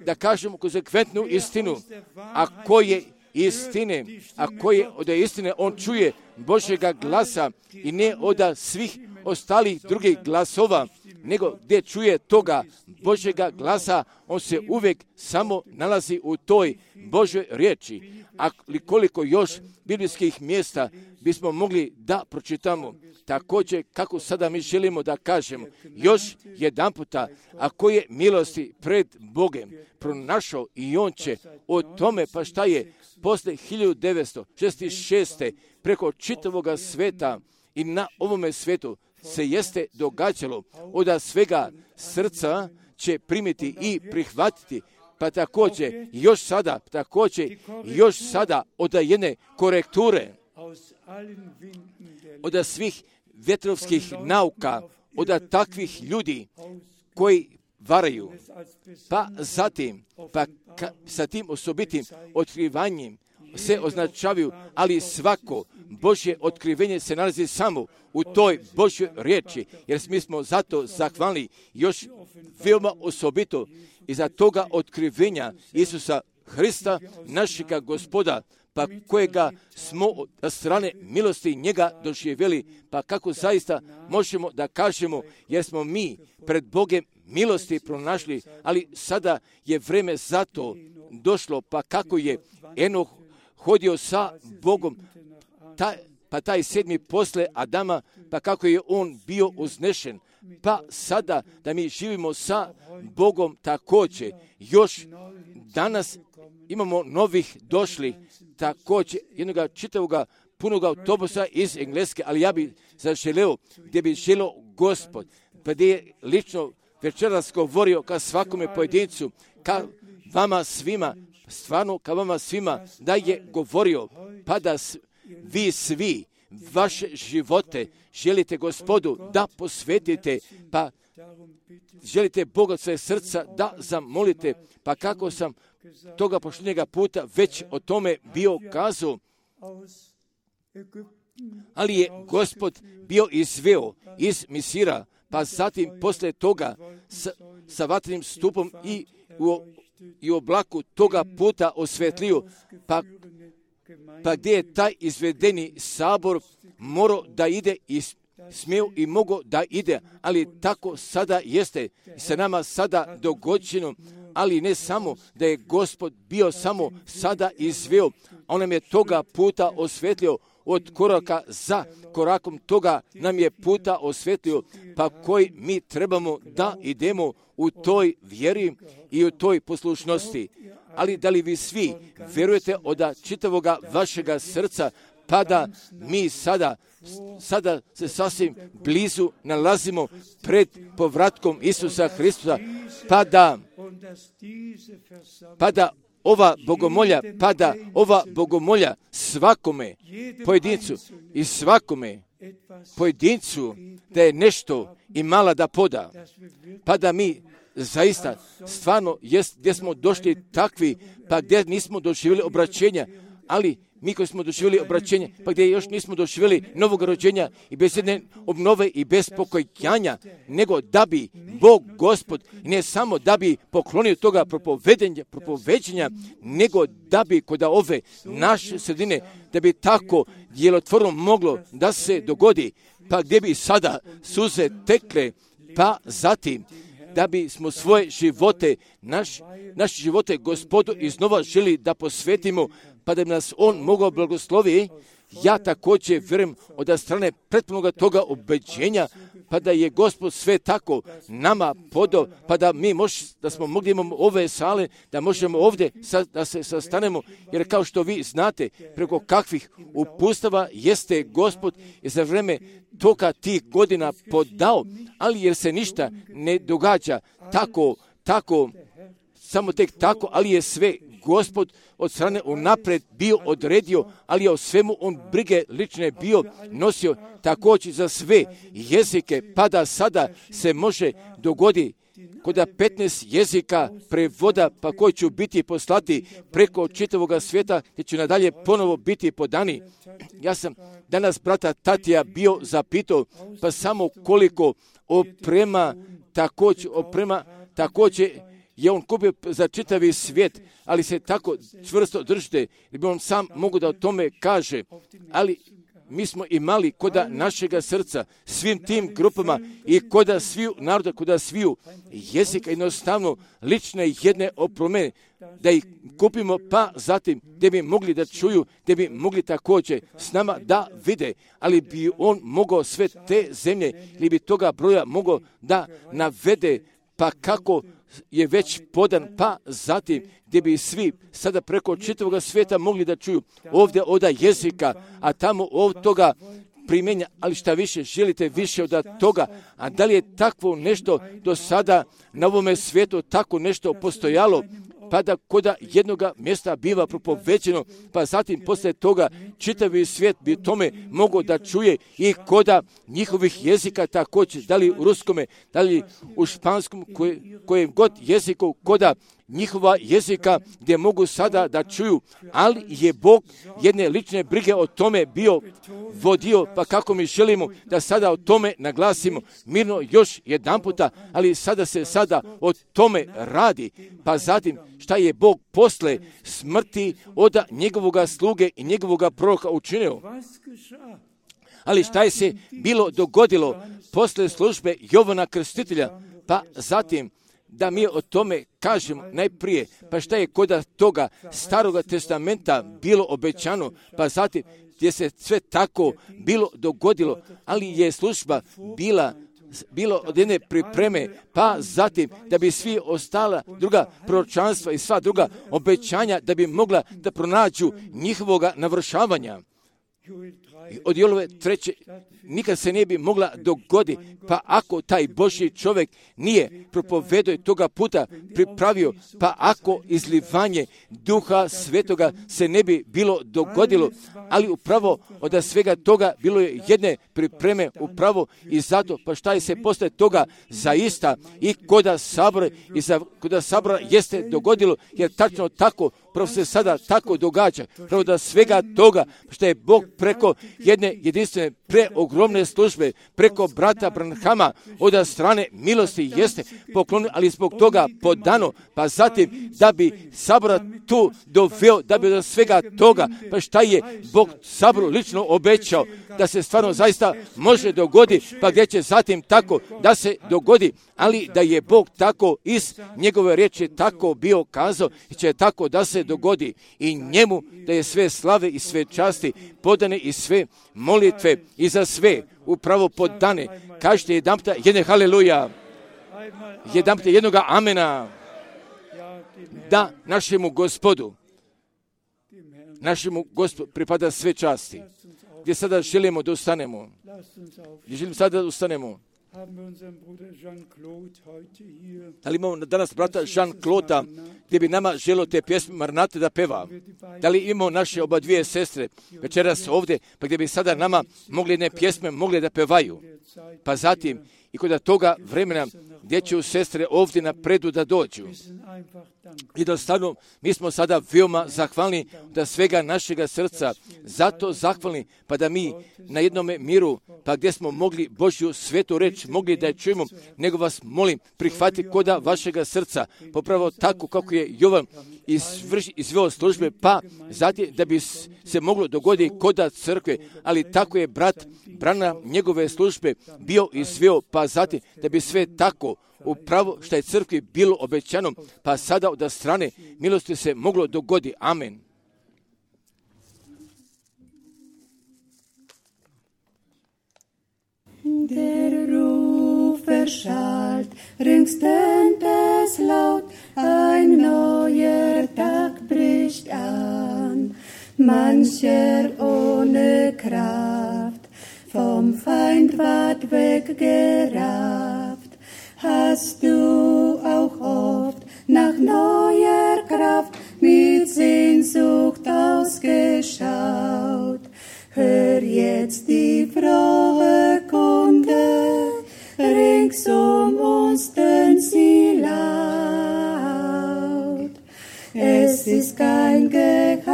da kažemo konsekventnu istinu, a koje istine, a koje od istine on čuje Božjega glasa i ne od svih ostalih drugih glasova, nego gdje čuje toga Božjega glasa, on se uvijek samo nalazi u toj Božjoj riječi. Ali koliko još biblijskih mjesta bismo mogli da pročitamo, također kako sada mi želimo da kažemo, još jedan puta, ako je milosti pred Bogem pronašao i on će o tome, pa šta je posle 1966. preko čitavoga sveta i na ovome svetu se jeste događalo, od svega srca će primiti i prihvatiti, pa također još sada od jedne korekture, od svih vjetrovskih nauka, od takvih ljudi koji varaju, pa zatim, sa tim osobitim otkrivanjem se označavaju, ali svako Božje otkrivenje se nalazi samo u toj Božjoj riječi, jer mi smo zato zahvalni još veoma osobito iza toga otkrivenja Isusa Hrista, našega Gospoda, pa kojega smo od strane milosti njega doživjeli, pa kako zaista možemo da kažemo, jer smo mi pred Bogem milosti pronašli, ali sada je vreme za to došlo, pa kako je Enoh hodio sa Bogom, pa taj 7. posle Adama, pa kako je on bio uznešen, pa sada da mi živimo sa Bogom također, još danas imamo novih došli, također jednoga čitavoga punoga autobusa iz Engleske, ali ja bi zaželeo, gdje bi želeo Gospod, pa gdje je lično večeras govorio ka svakome pojedincu, ka vama svima, stvarno ka vama svima da je govorio, pa da vi svi vaše živote želite Gospodu da posvetite, pa želite Boga od sve srca da zamolite, pa kako sam toga posljednjega puta već o tome bio kazao, ali je Gospod bio izveo iz Misira, pa zatim poslije toga sa vatrenim stupom i u oblaku toga puta osvetlio, pa gdje je taj izvedeni sabor morao da ide i smio i mogao da ide, ali tako sada jeste sa nama sada dogođeno, ali ne samo da je Gospod bio samo sada izveo, on nam je toga puta osvetlio, od koraka za korakom toga nam je puta osvetlio, pa koji mi trebamo da idemo u toj vjeri i u toj poslušnosti. Ali da li vi svi vjerujete od čitavoga vašega srca, pa da mi sada se sasvim blizu nalazimo pred povratkom Isusa Hristusa, pa da ova bogomolja svakome pojedincu da je nešto imala da poda, pa da mi zaista stvarno gdje smo došli takvi, pa gdje nismo doživjeli obraćenja, ali mi koji smo doživjeli obraćenje, pa gdje još nismo doživjeli novog rođenja i bez jedne obnove i bez pokojanja, nego da bi Bog Gospod, ne samo da bi poklonio toga propoveđenja, nego da bi kod ove naše sredine, da bi tako djelotvorno moglo da se dogodi, pa gdje bi sada suze tekle, pa zatim da bi smo svoje živote, naše živote Gospodu iznova želi da posvetimo, pa da bi nas On mogao blagoslovi. Ja također vjerujem od strane pretpunoga toga obeđenja, pa da je Gospod sve tako nama podao, pa da mi da smo mogli imamo ove sale, da možemo ovdje da se sastanemo, jer kao što vi znate, preko kakvih upustava jeste Gospod i za vrijeme toga tih godina podao, ali jer se ništa ne događa tako, samo tek tako, ali je sve Gospod od strane unaprijed bio odredio, ali je o svemu on brige lične bio nosio također za sve jezike, pa da sada se može dogoditi kod 15 jezika prevoda, pa koji će biti poslati preko čitavoga svijeta, gdje će nadalje ponovo biti podani. Ja sam danas brata Tatija bio zapitao, pa samo koliko oprema također je on kupio za čitavi svijet, ali se tako čvrsto držite, jer bi on sam mogu da o tome kaže, ali mi smo imali koda našega srca svim tim grupama i koda sviju naroda, koda sviju jezika, jednostavno lične jedne opreme, da ih kupimo, pa zatim gdje bi mogli da čuju, gdje bi mogli također s nama da vide, ali bi on mogao sve te zemlje ili bi toga broja mogao da navede, pa kako je već podan, pa zatim gdje bi svi sada preko čitavoga svijeta mogli da čuju ovdje od jezika, a tamo od toga primenja, ali šta više, želite više od toga, a da li je takvo nešto do sada na ovome svijetu tako nešto postojalo, pa da koda jednoga mjesta biva propoveđeno, pa zatim poslije toga čitavi svijet bi tome mogao da čuje i koda njihovih jezika također, da li u ruskome, da li u španskom, kojem god jeziku, koda njihova jezika gdje mogu sada da čuju, ali je Bog jedne lične brige o tome bio vodio, pa kako mi želimo da sada o tome naglasimo mirno još jedan puta, ali sada o tome radi, pa zatim šta je Bog posle smrti od njegovoga sluge i njegovoga proroka učinio. Ali šta je se bilo dogodilo posle službe Jovana Krstitelja, pa zatim da mi o tome kažemo najprije, pa šta je kod toga Staroga testamenta bilo obećano, pa zatim gdje se sve tako bilo dogodilo, ali je služba bilo od jedne pripreme, pa zatim da bi svi ostala druga proročanstva i sva druga obećanja da bi mogla da pronađu njihovoga navršavanja. od Jolove 3. nikad se ne bi mogla dogoditi, pa ako taj Božji čovjek nije propovedao toga puta pripravio, pa ako izlivanje Duha Svetoga se ne bi bilo dogodilo, ali upravo od svega toga bilo je jedne pripreme upravo i zato, pa šta je se posle toga zaista i koda sabora koda sabora jeste dogodilo, jer tačno tako, pravo se sada tako događa, pravo da svega toga što je Bog preko jedne jedinstvene preogromne službe, preko brata Branhama od strane milosti jeste poklonio, ali zbog toga podano, pa zatim da bi sabora tu doveo, da bi od svega toga, pa šta je Bog saboru lično obećao, da se stvarno zaista može dogoditi, pa gdje će zatim tako da se dogodi, ali da je Bog tako iz njegove riječi tako bio kazao i će tako da se dogodi i njemu da je sve slave i sve časti podane i sve molitve i za sve upravo podane. Kažete jedanputa jedne haleluja, jedanputa jednoga amena, da našemu Gospodu pripada sve časti. Gdje sada želimo da ustanemo? Gdje želimo sada da ustanemo? Da li imamo danas brata Jean-Claude gdje bi nama želio te pjesme Maranate da peva? Da li imamo naše oba dvije sestre večeras ovdje, pa gdje bi sada nama mogli jedne pjesme mogli da pevaju? Pa zatim i kod toga vremena gdje će sestre ovdje napredu da dođu. Jednostavno, mi smo sada veoma zahvalni da svega našega srca, zato zahvalni, pa da mi na jednome miru, pa gdje smo mogli Božju svetu reč, mogli da je čujemo, nego vas molim, prihvati koda vašega srca, popravo tako kako je Jovan izveo službe, pa zatim da bi se moglo dogoditi koda crkve, ali tako je brat Branham njegove službe bio izveo, pa zatim da bi sve tako upravo što je crkvi bilo obećano, pa sada od strane milosti se moglo dogodi. Amen. Der Ruf erschallt, ringstent es laut, ein neuer Tag bricht an. Mancher ohne Kraft, vom Feind ward weggerafft. Hast du auch oft nach neuer Kraft mit Sehnsucht ausgeschaut? Hör jetzt die frohe Kunde, rings uns tönt sie laut. Es ist kein Geheimnis,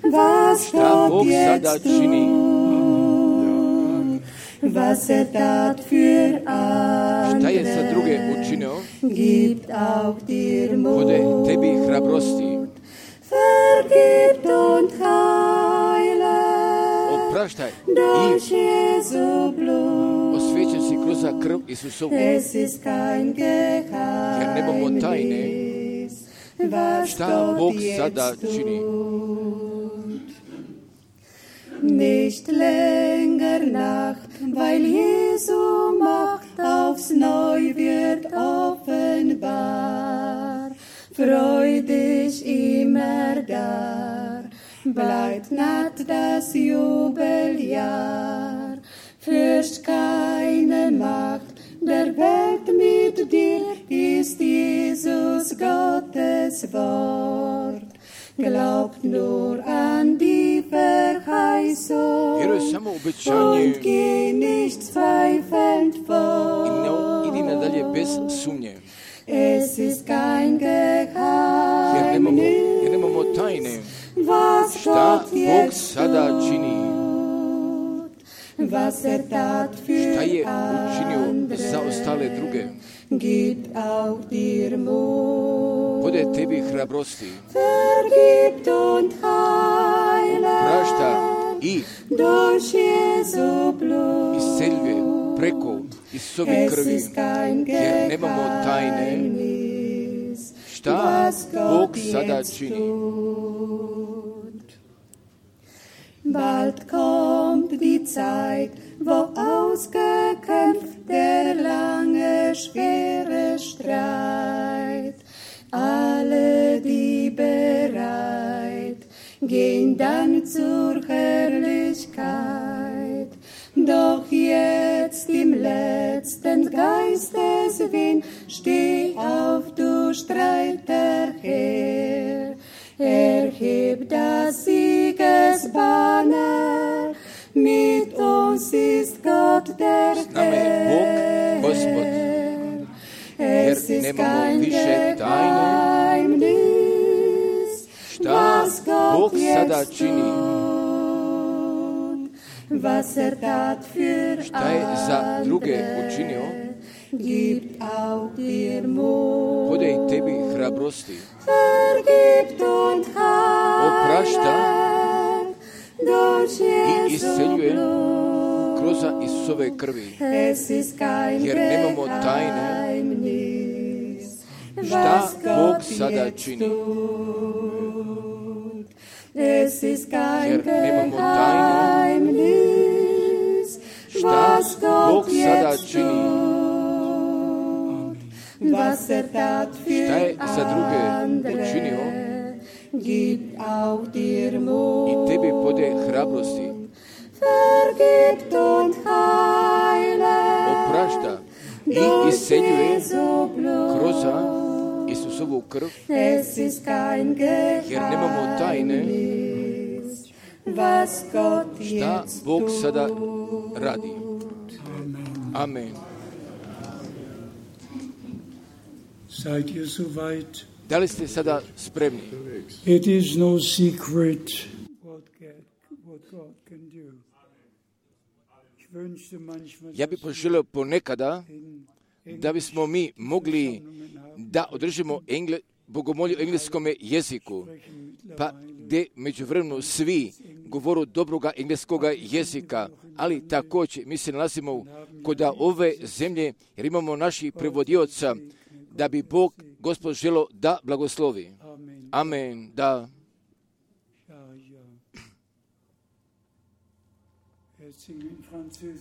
was Gott jetzt tut. Was tat für andere, gibt auch dir Mut. Vergibt und heile durch Jesu Blut. Es ist kein Geheimnis, was Gott jetzt tut. Nicht länger Nacht, weil Jesu Macht aufs Neu wird offenbar. Freu dich immer da, bleibt naht das Jubeljahr. Fürcht keine Macht der Welt mit dir, ist Jesus Gottes Wort. Glaubt nur an die Verheißung und geh nicht zweifelnd vor. Es ist kein Geheimnis, was Gott jetzt tut, was tat für andere, gibt auch dir Mut. Vergibt und heile durch Jesu Blut. Es ist kein Geheimnis, was Gott jetzt tut. Bald kommt die Zeit, wo ausgekämpft der lange, schwere Streit. Alle, die bereit gehen dann zur Herrlichkeit. Doch jetzt im letzten Geisteswind, steh auf, du Streiterherr. Erheb das Siegesbanner, mit uns ist Gott der Herr. Es ist kein Geheimnis, was Gott jetzt tut, was tat für andere, gibt auch dir Mut. Vergibt und heilet durch Jesu Blut. Es ist kein Geheimnis, was Gott jetzt tut. Es ist kein Geheimnis, was Gott jetzt tut. Was tat für andere, gibt auch dir Mut. Vergibt und heilet durch Jesu Blut. Es ist kein Geheimnis, was Gott jetzt tut. Amen. Seid ihr soweit? Da li ste sada spremni? It is no secret what God can do. Ja bih poželio ponekada da bismo mi mogli da održimo bogomolju u engleskom jeziku, pa gdje međuvremeno svi govoru dobroga engleskoga jezika, ali također mi se nalazimo kod ove zemlje jer imamo naših prevodioca da bi Bog, Gospod, želo da blagoslovi. Amen, da.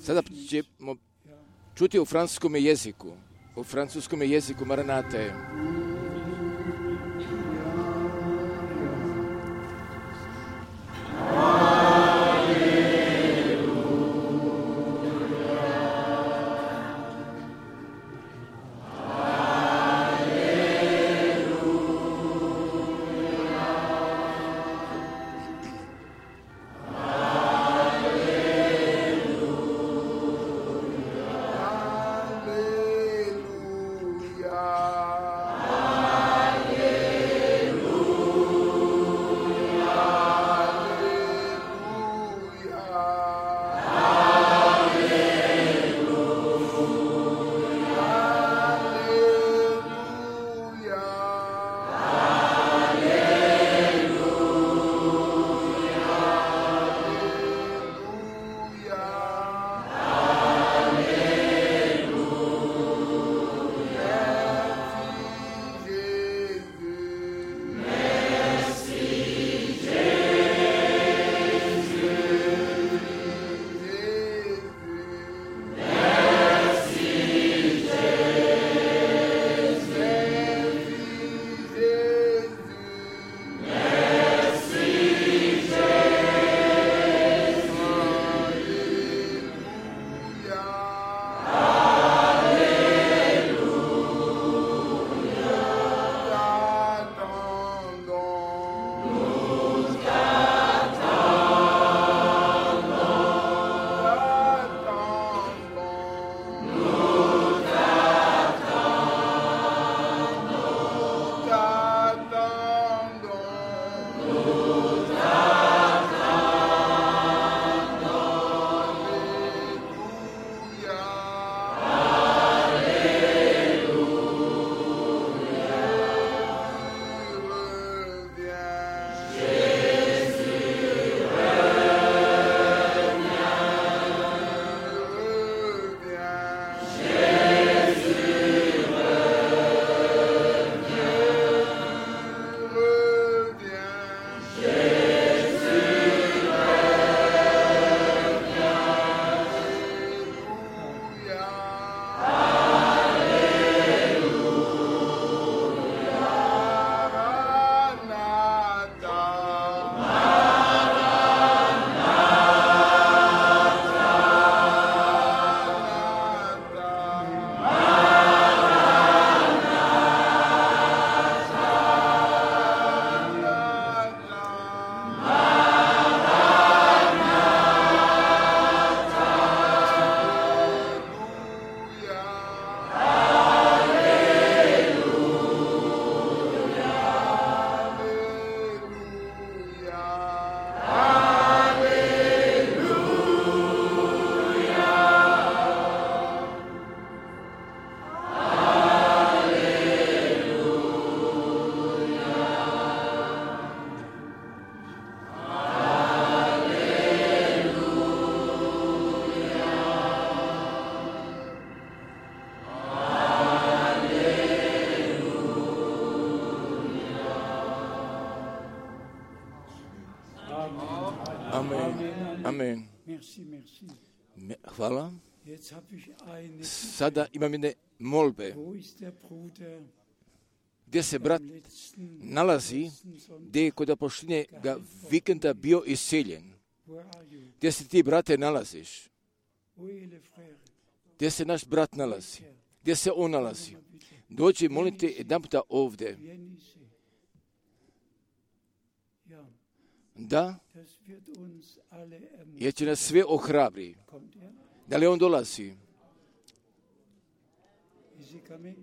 Sada ćemo čuti u francuskom jeziku. U francuskom jeziku Maranate. Hallelujah. Amen. Merci, merci. Hvala. Jetzt habe ich eine. Sada imam jedne molbe. Wo ist der Bruder? Gdje se brat nalazi, gdje je kod pošljenjega vikenda bio iseljen. Wo are you? Gdje se ti, brate, nalaziš? Wo est le frère? Gdje se naš brat nalazi? Gdje se on nalazi? Dođi, molim te, jedan puta ovdje. Jenise. Ja, Da, das wird uns alle ermutigen. jer će nas sve ohrabri. Kommt er? Da li on dolazi? Is he coming?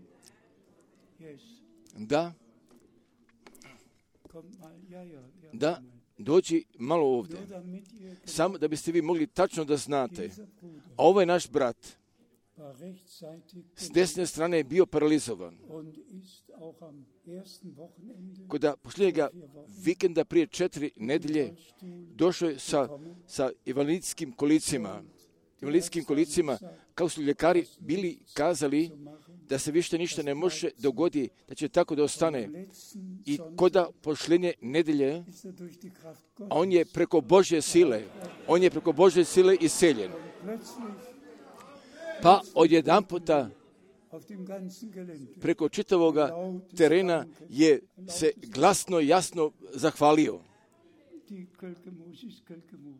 Yes. Da, Kommt mal. Ja, ja. da, komm mal. dođi malo ovdje. Nur damit ihr Samo da biste vi mogli tačno da znate. dieser Bruder A ovo je naš brat. war rechtzeitig S desne strane je bio paralizovan. und ist auch am ersten Wochenende Kod posljednjega vikenda prije 4 nedelje došao je sa invalidskim kolicima. Invalidskim kolicima, kao su ljekari bili kazali da se više ništa ne može dogoditi, da će tako da ostane. I kod posljednje nedelje, ist er durch die Kraft a Gottes on je preko Božje sile iseljen. plötzlich Pa odjedan puta auf dem ganzen Gelände preko čitavoga terena je se glasno i jasno zahvalio. die Kölkemus ist Kölkemus.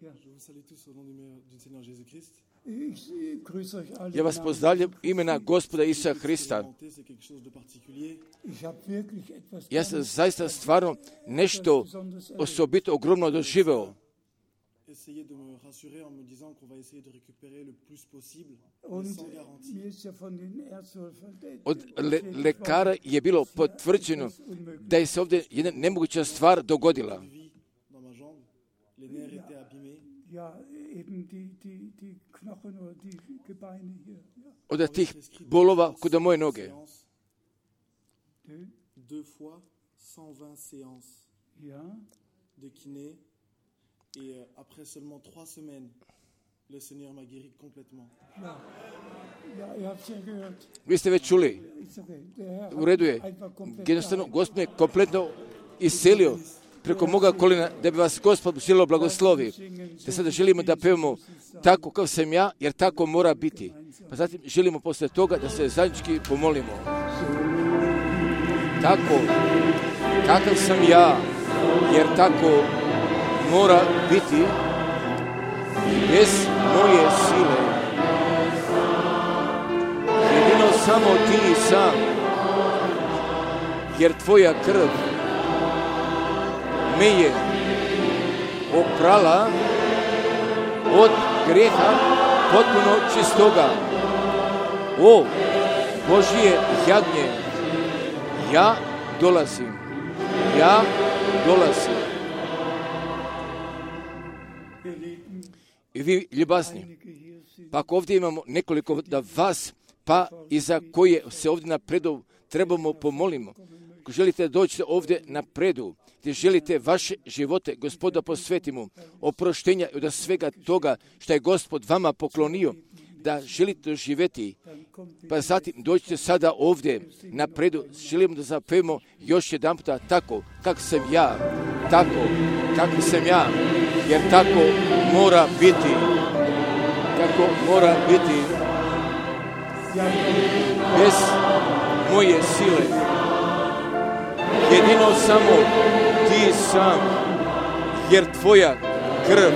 Ja. Je vous salue tous au nom du Seigneur Jésus-Christ. Ich grüße euch alle. Ja vas pozdravljam imena Gospoda Isusa Hrista. C'est quelque chose de particulier. Ich habe wirklich etwas Ja sam zaista stvarno nešto osobito ogromno doživeo. Essayez de me rassurer en me disant qu'on va essayer de récupérer le plus possible, mais und sans garantie. mir ist ja von den Ärzten Od lekara je bilo potvrđeno da je se ovdje jedna nemoguća stvar dogodila. Vie dans ma jambe, les nerfs étaient abîmés. ja eben die Knochen oder die Gebeine hier. Ja. Od tih bolova kod moje noge. Deux fois 120 séances Ja. de kiné et après seulement 3 semaines, le Seigneur m'a guéri complètement. Ja, ihr habt es ja gehört. Vi ste već čuli, Ist okay. Der Herr u redu je. einfach komplett Jednostavno, Gospod me kompletno iselio preko moga kolena da bi vas Gospod želio blagoslovi. Te sada želimo da pevamo tako kao sam ja, jer tako mora biti. Pa zatim želimo posle toga da se zajednički pomolimo. Tako, kakav sam ja, jer tako mora biti, bez moje sile. Jedino samo ti sam, jer tvoja krv me je oprala od greha potpuno čistoga. O Božje jagnje, ja dolazim. I vi ljubazni, pa ako ovdje imamo nekoliko da vas, pa i za koje se ovdje napredu trebamo pomolimo. Ako želite doći ovdje napredu, gdje želite vaše živote Gospoda posvetimo, oproštenja od svega toga što je Gospod vama poklonio, da želite doživjeti, pa zatim dođite sada ovdje napredu. Želimo da zapevamo još jedan puta tako, kako sam ja, tako, kako sam ja, jer tako mora biti, kako mora biti, bez moje sile. Jedino samo ti sam, jer tvoja krv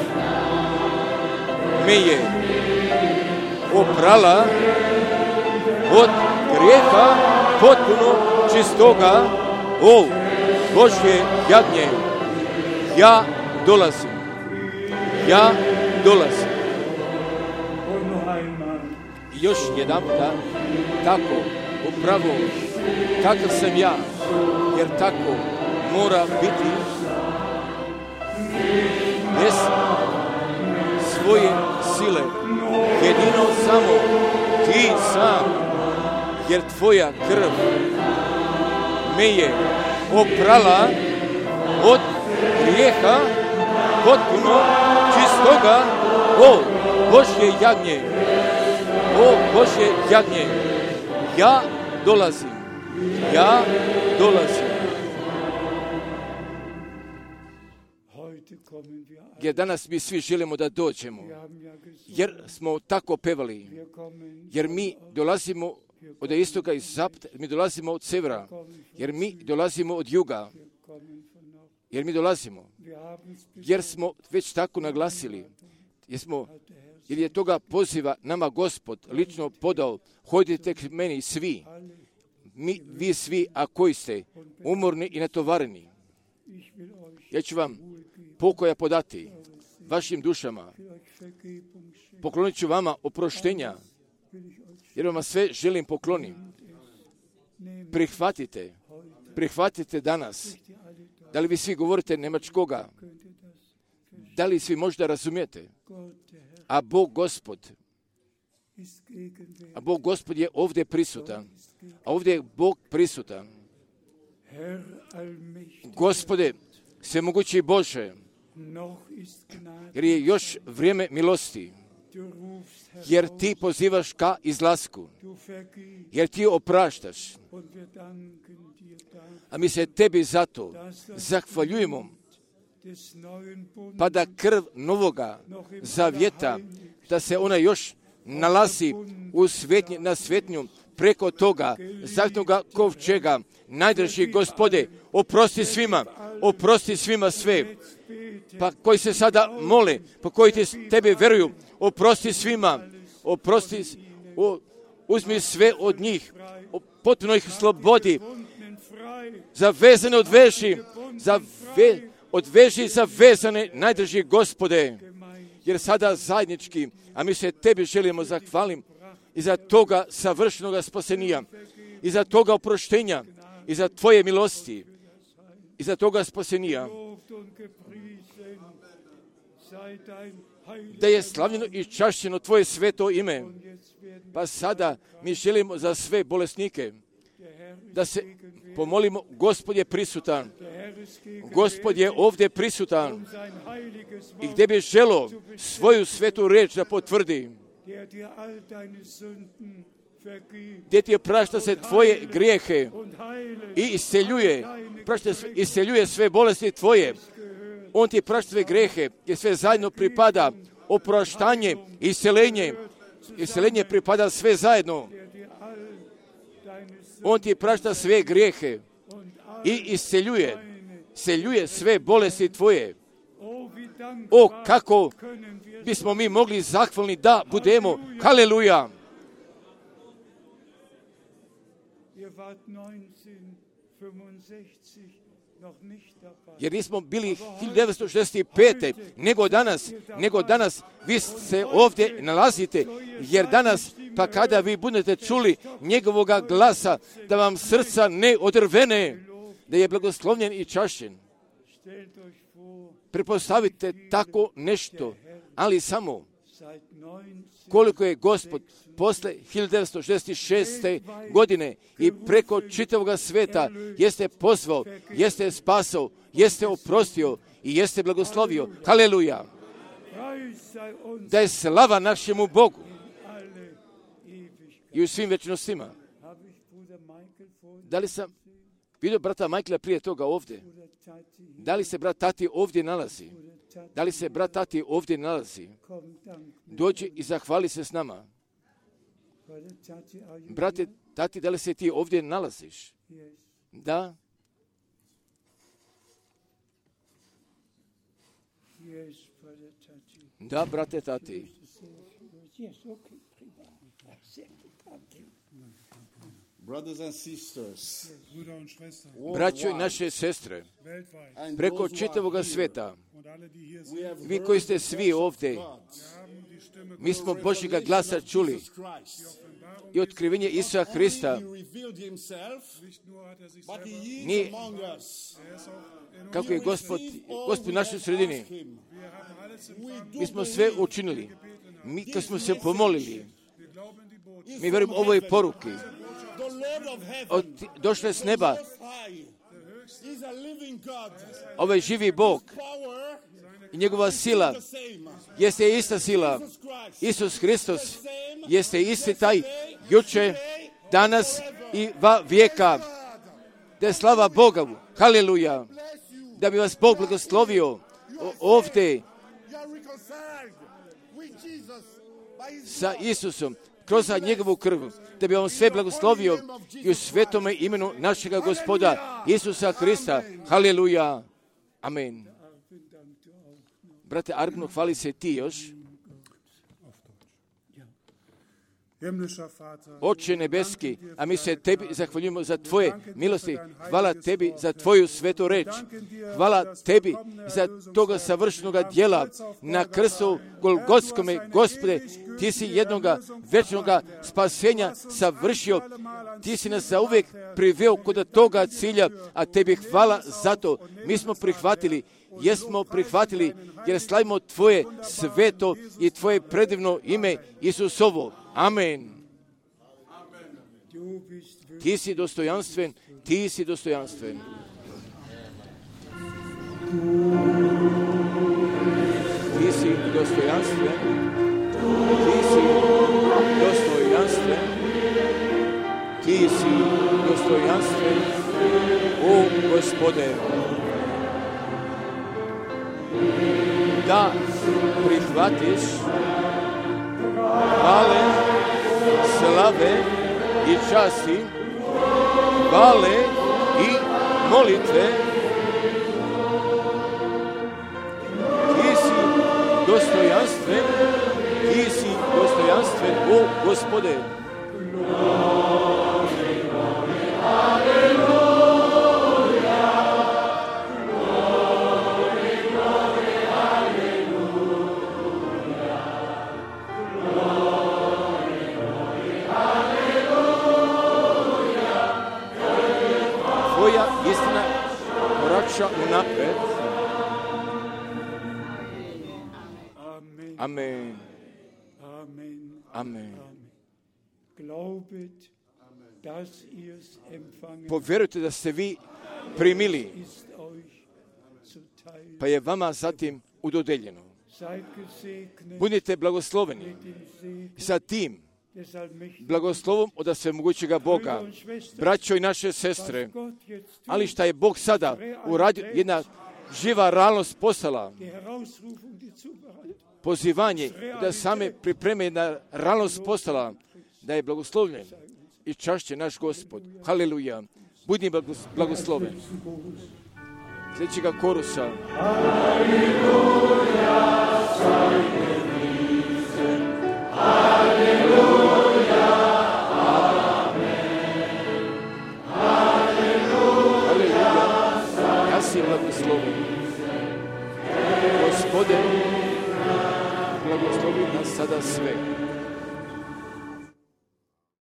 me je oprala od grijeha potpuno čistoga. O Božje jagnje, ja dolazim. I još jedan puta, tako, upravo, kakav sam ja, jer tako mora biti, bez svoje sile. Jedino samo ti sam, jer tvoja krv me je oprala od grijeha potpuno čistoga. O Božje jagnje, ja dolazim. Jer danas mi svi želimo da dođemo. Jer smo tako pevali. Jer mi dolazimo od istoka i zapada, mi dolazimo od severa. Jer mi dolazimo od juga. Jer mi dolazimo. Jer smo već tako naglasili. Jer je toga poziva nama Gospod lično podao. Hodite k meni svi. Vi svi, a koji ste umorni i natovareni. Ja ću vam pokoja podati vašim dušama. Poklonit ću vama oproštenja. Jer vam sve želim pokloniti. Prihvatite danas. Da li vi svi govorite njemačkoga? Da li svi možda razumijete? A Bog Gospod je ovdje prisutan. A ovdje je Bog prisutan. Gospode, svemogući Bože, jer je još vrijeme milosti. Jer ti pozivaš ka izlasku. Jer ti opraštaš. A mi se tebi zato zahvaljujemo. Pa da krv novoga zavjeta, da se ona još nalazi na svetnju preko toga zahtnoga kovčega. Najdraži Gospode, oprosti svima sve. Pa koji se sada mole, pa koji tebe veruju, oprosti svima, uzmi sve od njih, potpuno ih slobodi, zavezane odveži zavezane, najdraži Gospode, jer sada zajednički, a mi se tebi želimo zahvalim i za toga savršenog spasenija, i za toga oproštenja, i za tvoje milosti, i za toga spasenija. Da je slavljeno i čašćeno tvoje sveto ime. Pa sada mi želimo za sve bolesnike da se pomolimo. Gospod je prisutan. Gospod je ovdje prisutan. I gdje bi želo svoju svetu reč da potvrdi. Gdje ti prašta se tvoje grijehe i isceljuje sve bolesti tvoje. On ti prašta sve grijehe i sve zajedno pripada oproštanje i isceljenje. Isceljenje pripada sve zajedno. On ti prašta sve grijehe i isceljuje sve bolesti tvoje. O, kako bismo mi mogli zahvalni da budemo. Haleluja! Jer nismo bili 1965. nego danas vi se ovdje nalazite, jer danas, pa kada vi budete čuli njegovoga glasa, da vam srca ne odrvene, da je blagoslovljen i čašćen. Prepostavite tako nešto, ali samo koliko je Gospod posle 1966. godine i preko čitavoga sveta jeste pozvao, jeste spasao, jeste oprostio i jeste blagoslovio. Haleluja! Da je slava našemu Bogu i u svim večnostima. Da li sam vidio brata Michaela prije toga ovdje? Da li se brat Tati ovdje nalazi? Dođi i zahvali se s nama. Brate Tati, da li se ti ovdje nalaziš? Da. Da, brate Tati. Braćo i naše sestre, preko čitavoga sveta, vi koji ste svi ovdje, mi smo Božjega glasa čuli i otkrivenje Isusa Hrista. Nije kako je Gospod u našoj sredini. Mi smo sve učinili. Mi kad smo se pomolili, mi vjerujemo ovoj poruki. Došle s neba. Ovaj živi Bog i njegova sila jeste ista sila. Isus Hristos jeste isti taj juče, danas i va vijeka. Da je slava Boga. Haleluja. Da bi vas Bog blagoslovio ovdje sa Isusom, kroz njegovu krv, da bi on sve blagoslovio i u svetome imenu našega Gospoda Isusa Hrista. Haleluja. Amen. Brate Argno, hvali se ti još. Oče nebeski, a mi se tebi zahvaljujemo za tvoje milosti. Hvala tebi za tvoju svetu reč. Hvala tebi za toga savršenoga djela na krstu Golgotskome. Gospode, ti si jednoga večnoga spasenja savršio. Ti si nas zauvijek priveo kod toga cilja, a tebi hvala za to. Mi smo prihvatili, jesmo prihvatili, jer slavimo tvoje sveto i tvoje predivno ime Isusovo. Amen. Ti si dostojanstven, ti si dostojanstven. Ti si dostojanstven, ti si dostojanstven, ti si dostojanstven, o Gospode. Da prihvatiš hvale, slave i časti, hvale i molitve. Ti si dostojanstven, ti si dostojanstven, o Gospode. Unapred. Amen. Amen. Amen. Glaubet, dass ihr's empfangen, povjerujte da ste vi primili, ist euch zuteil. pa je vama zatim udodeljeno. Seid gesegnet Budite blagosloveni mit dem Segen sa tim des allmächtigen blagoslovom od svemogućega Boga. Brüder und Schwestern, Braćo i naše sestre, was Gott jetzt tut, ali šta je Bog sada uradio, jedna živa realnost postala, die Herausrufung, die Zubereitung, pozivanje da same pripreme, jedna realnost postala, da je blagoslovljen i čašće naš Gospod. Haleluja. Budi blagosloven. Sljedećega korusa. Ja si blagosloven. Gospode, blagoslovi nas sada sve.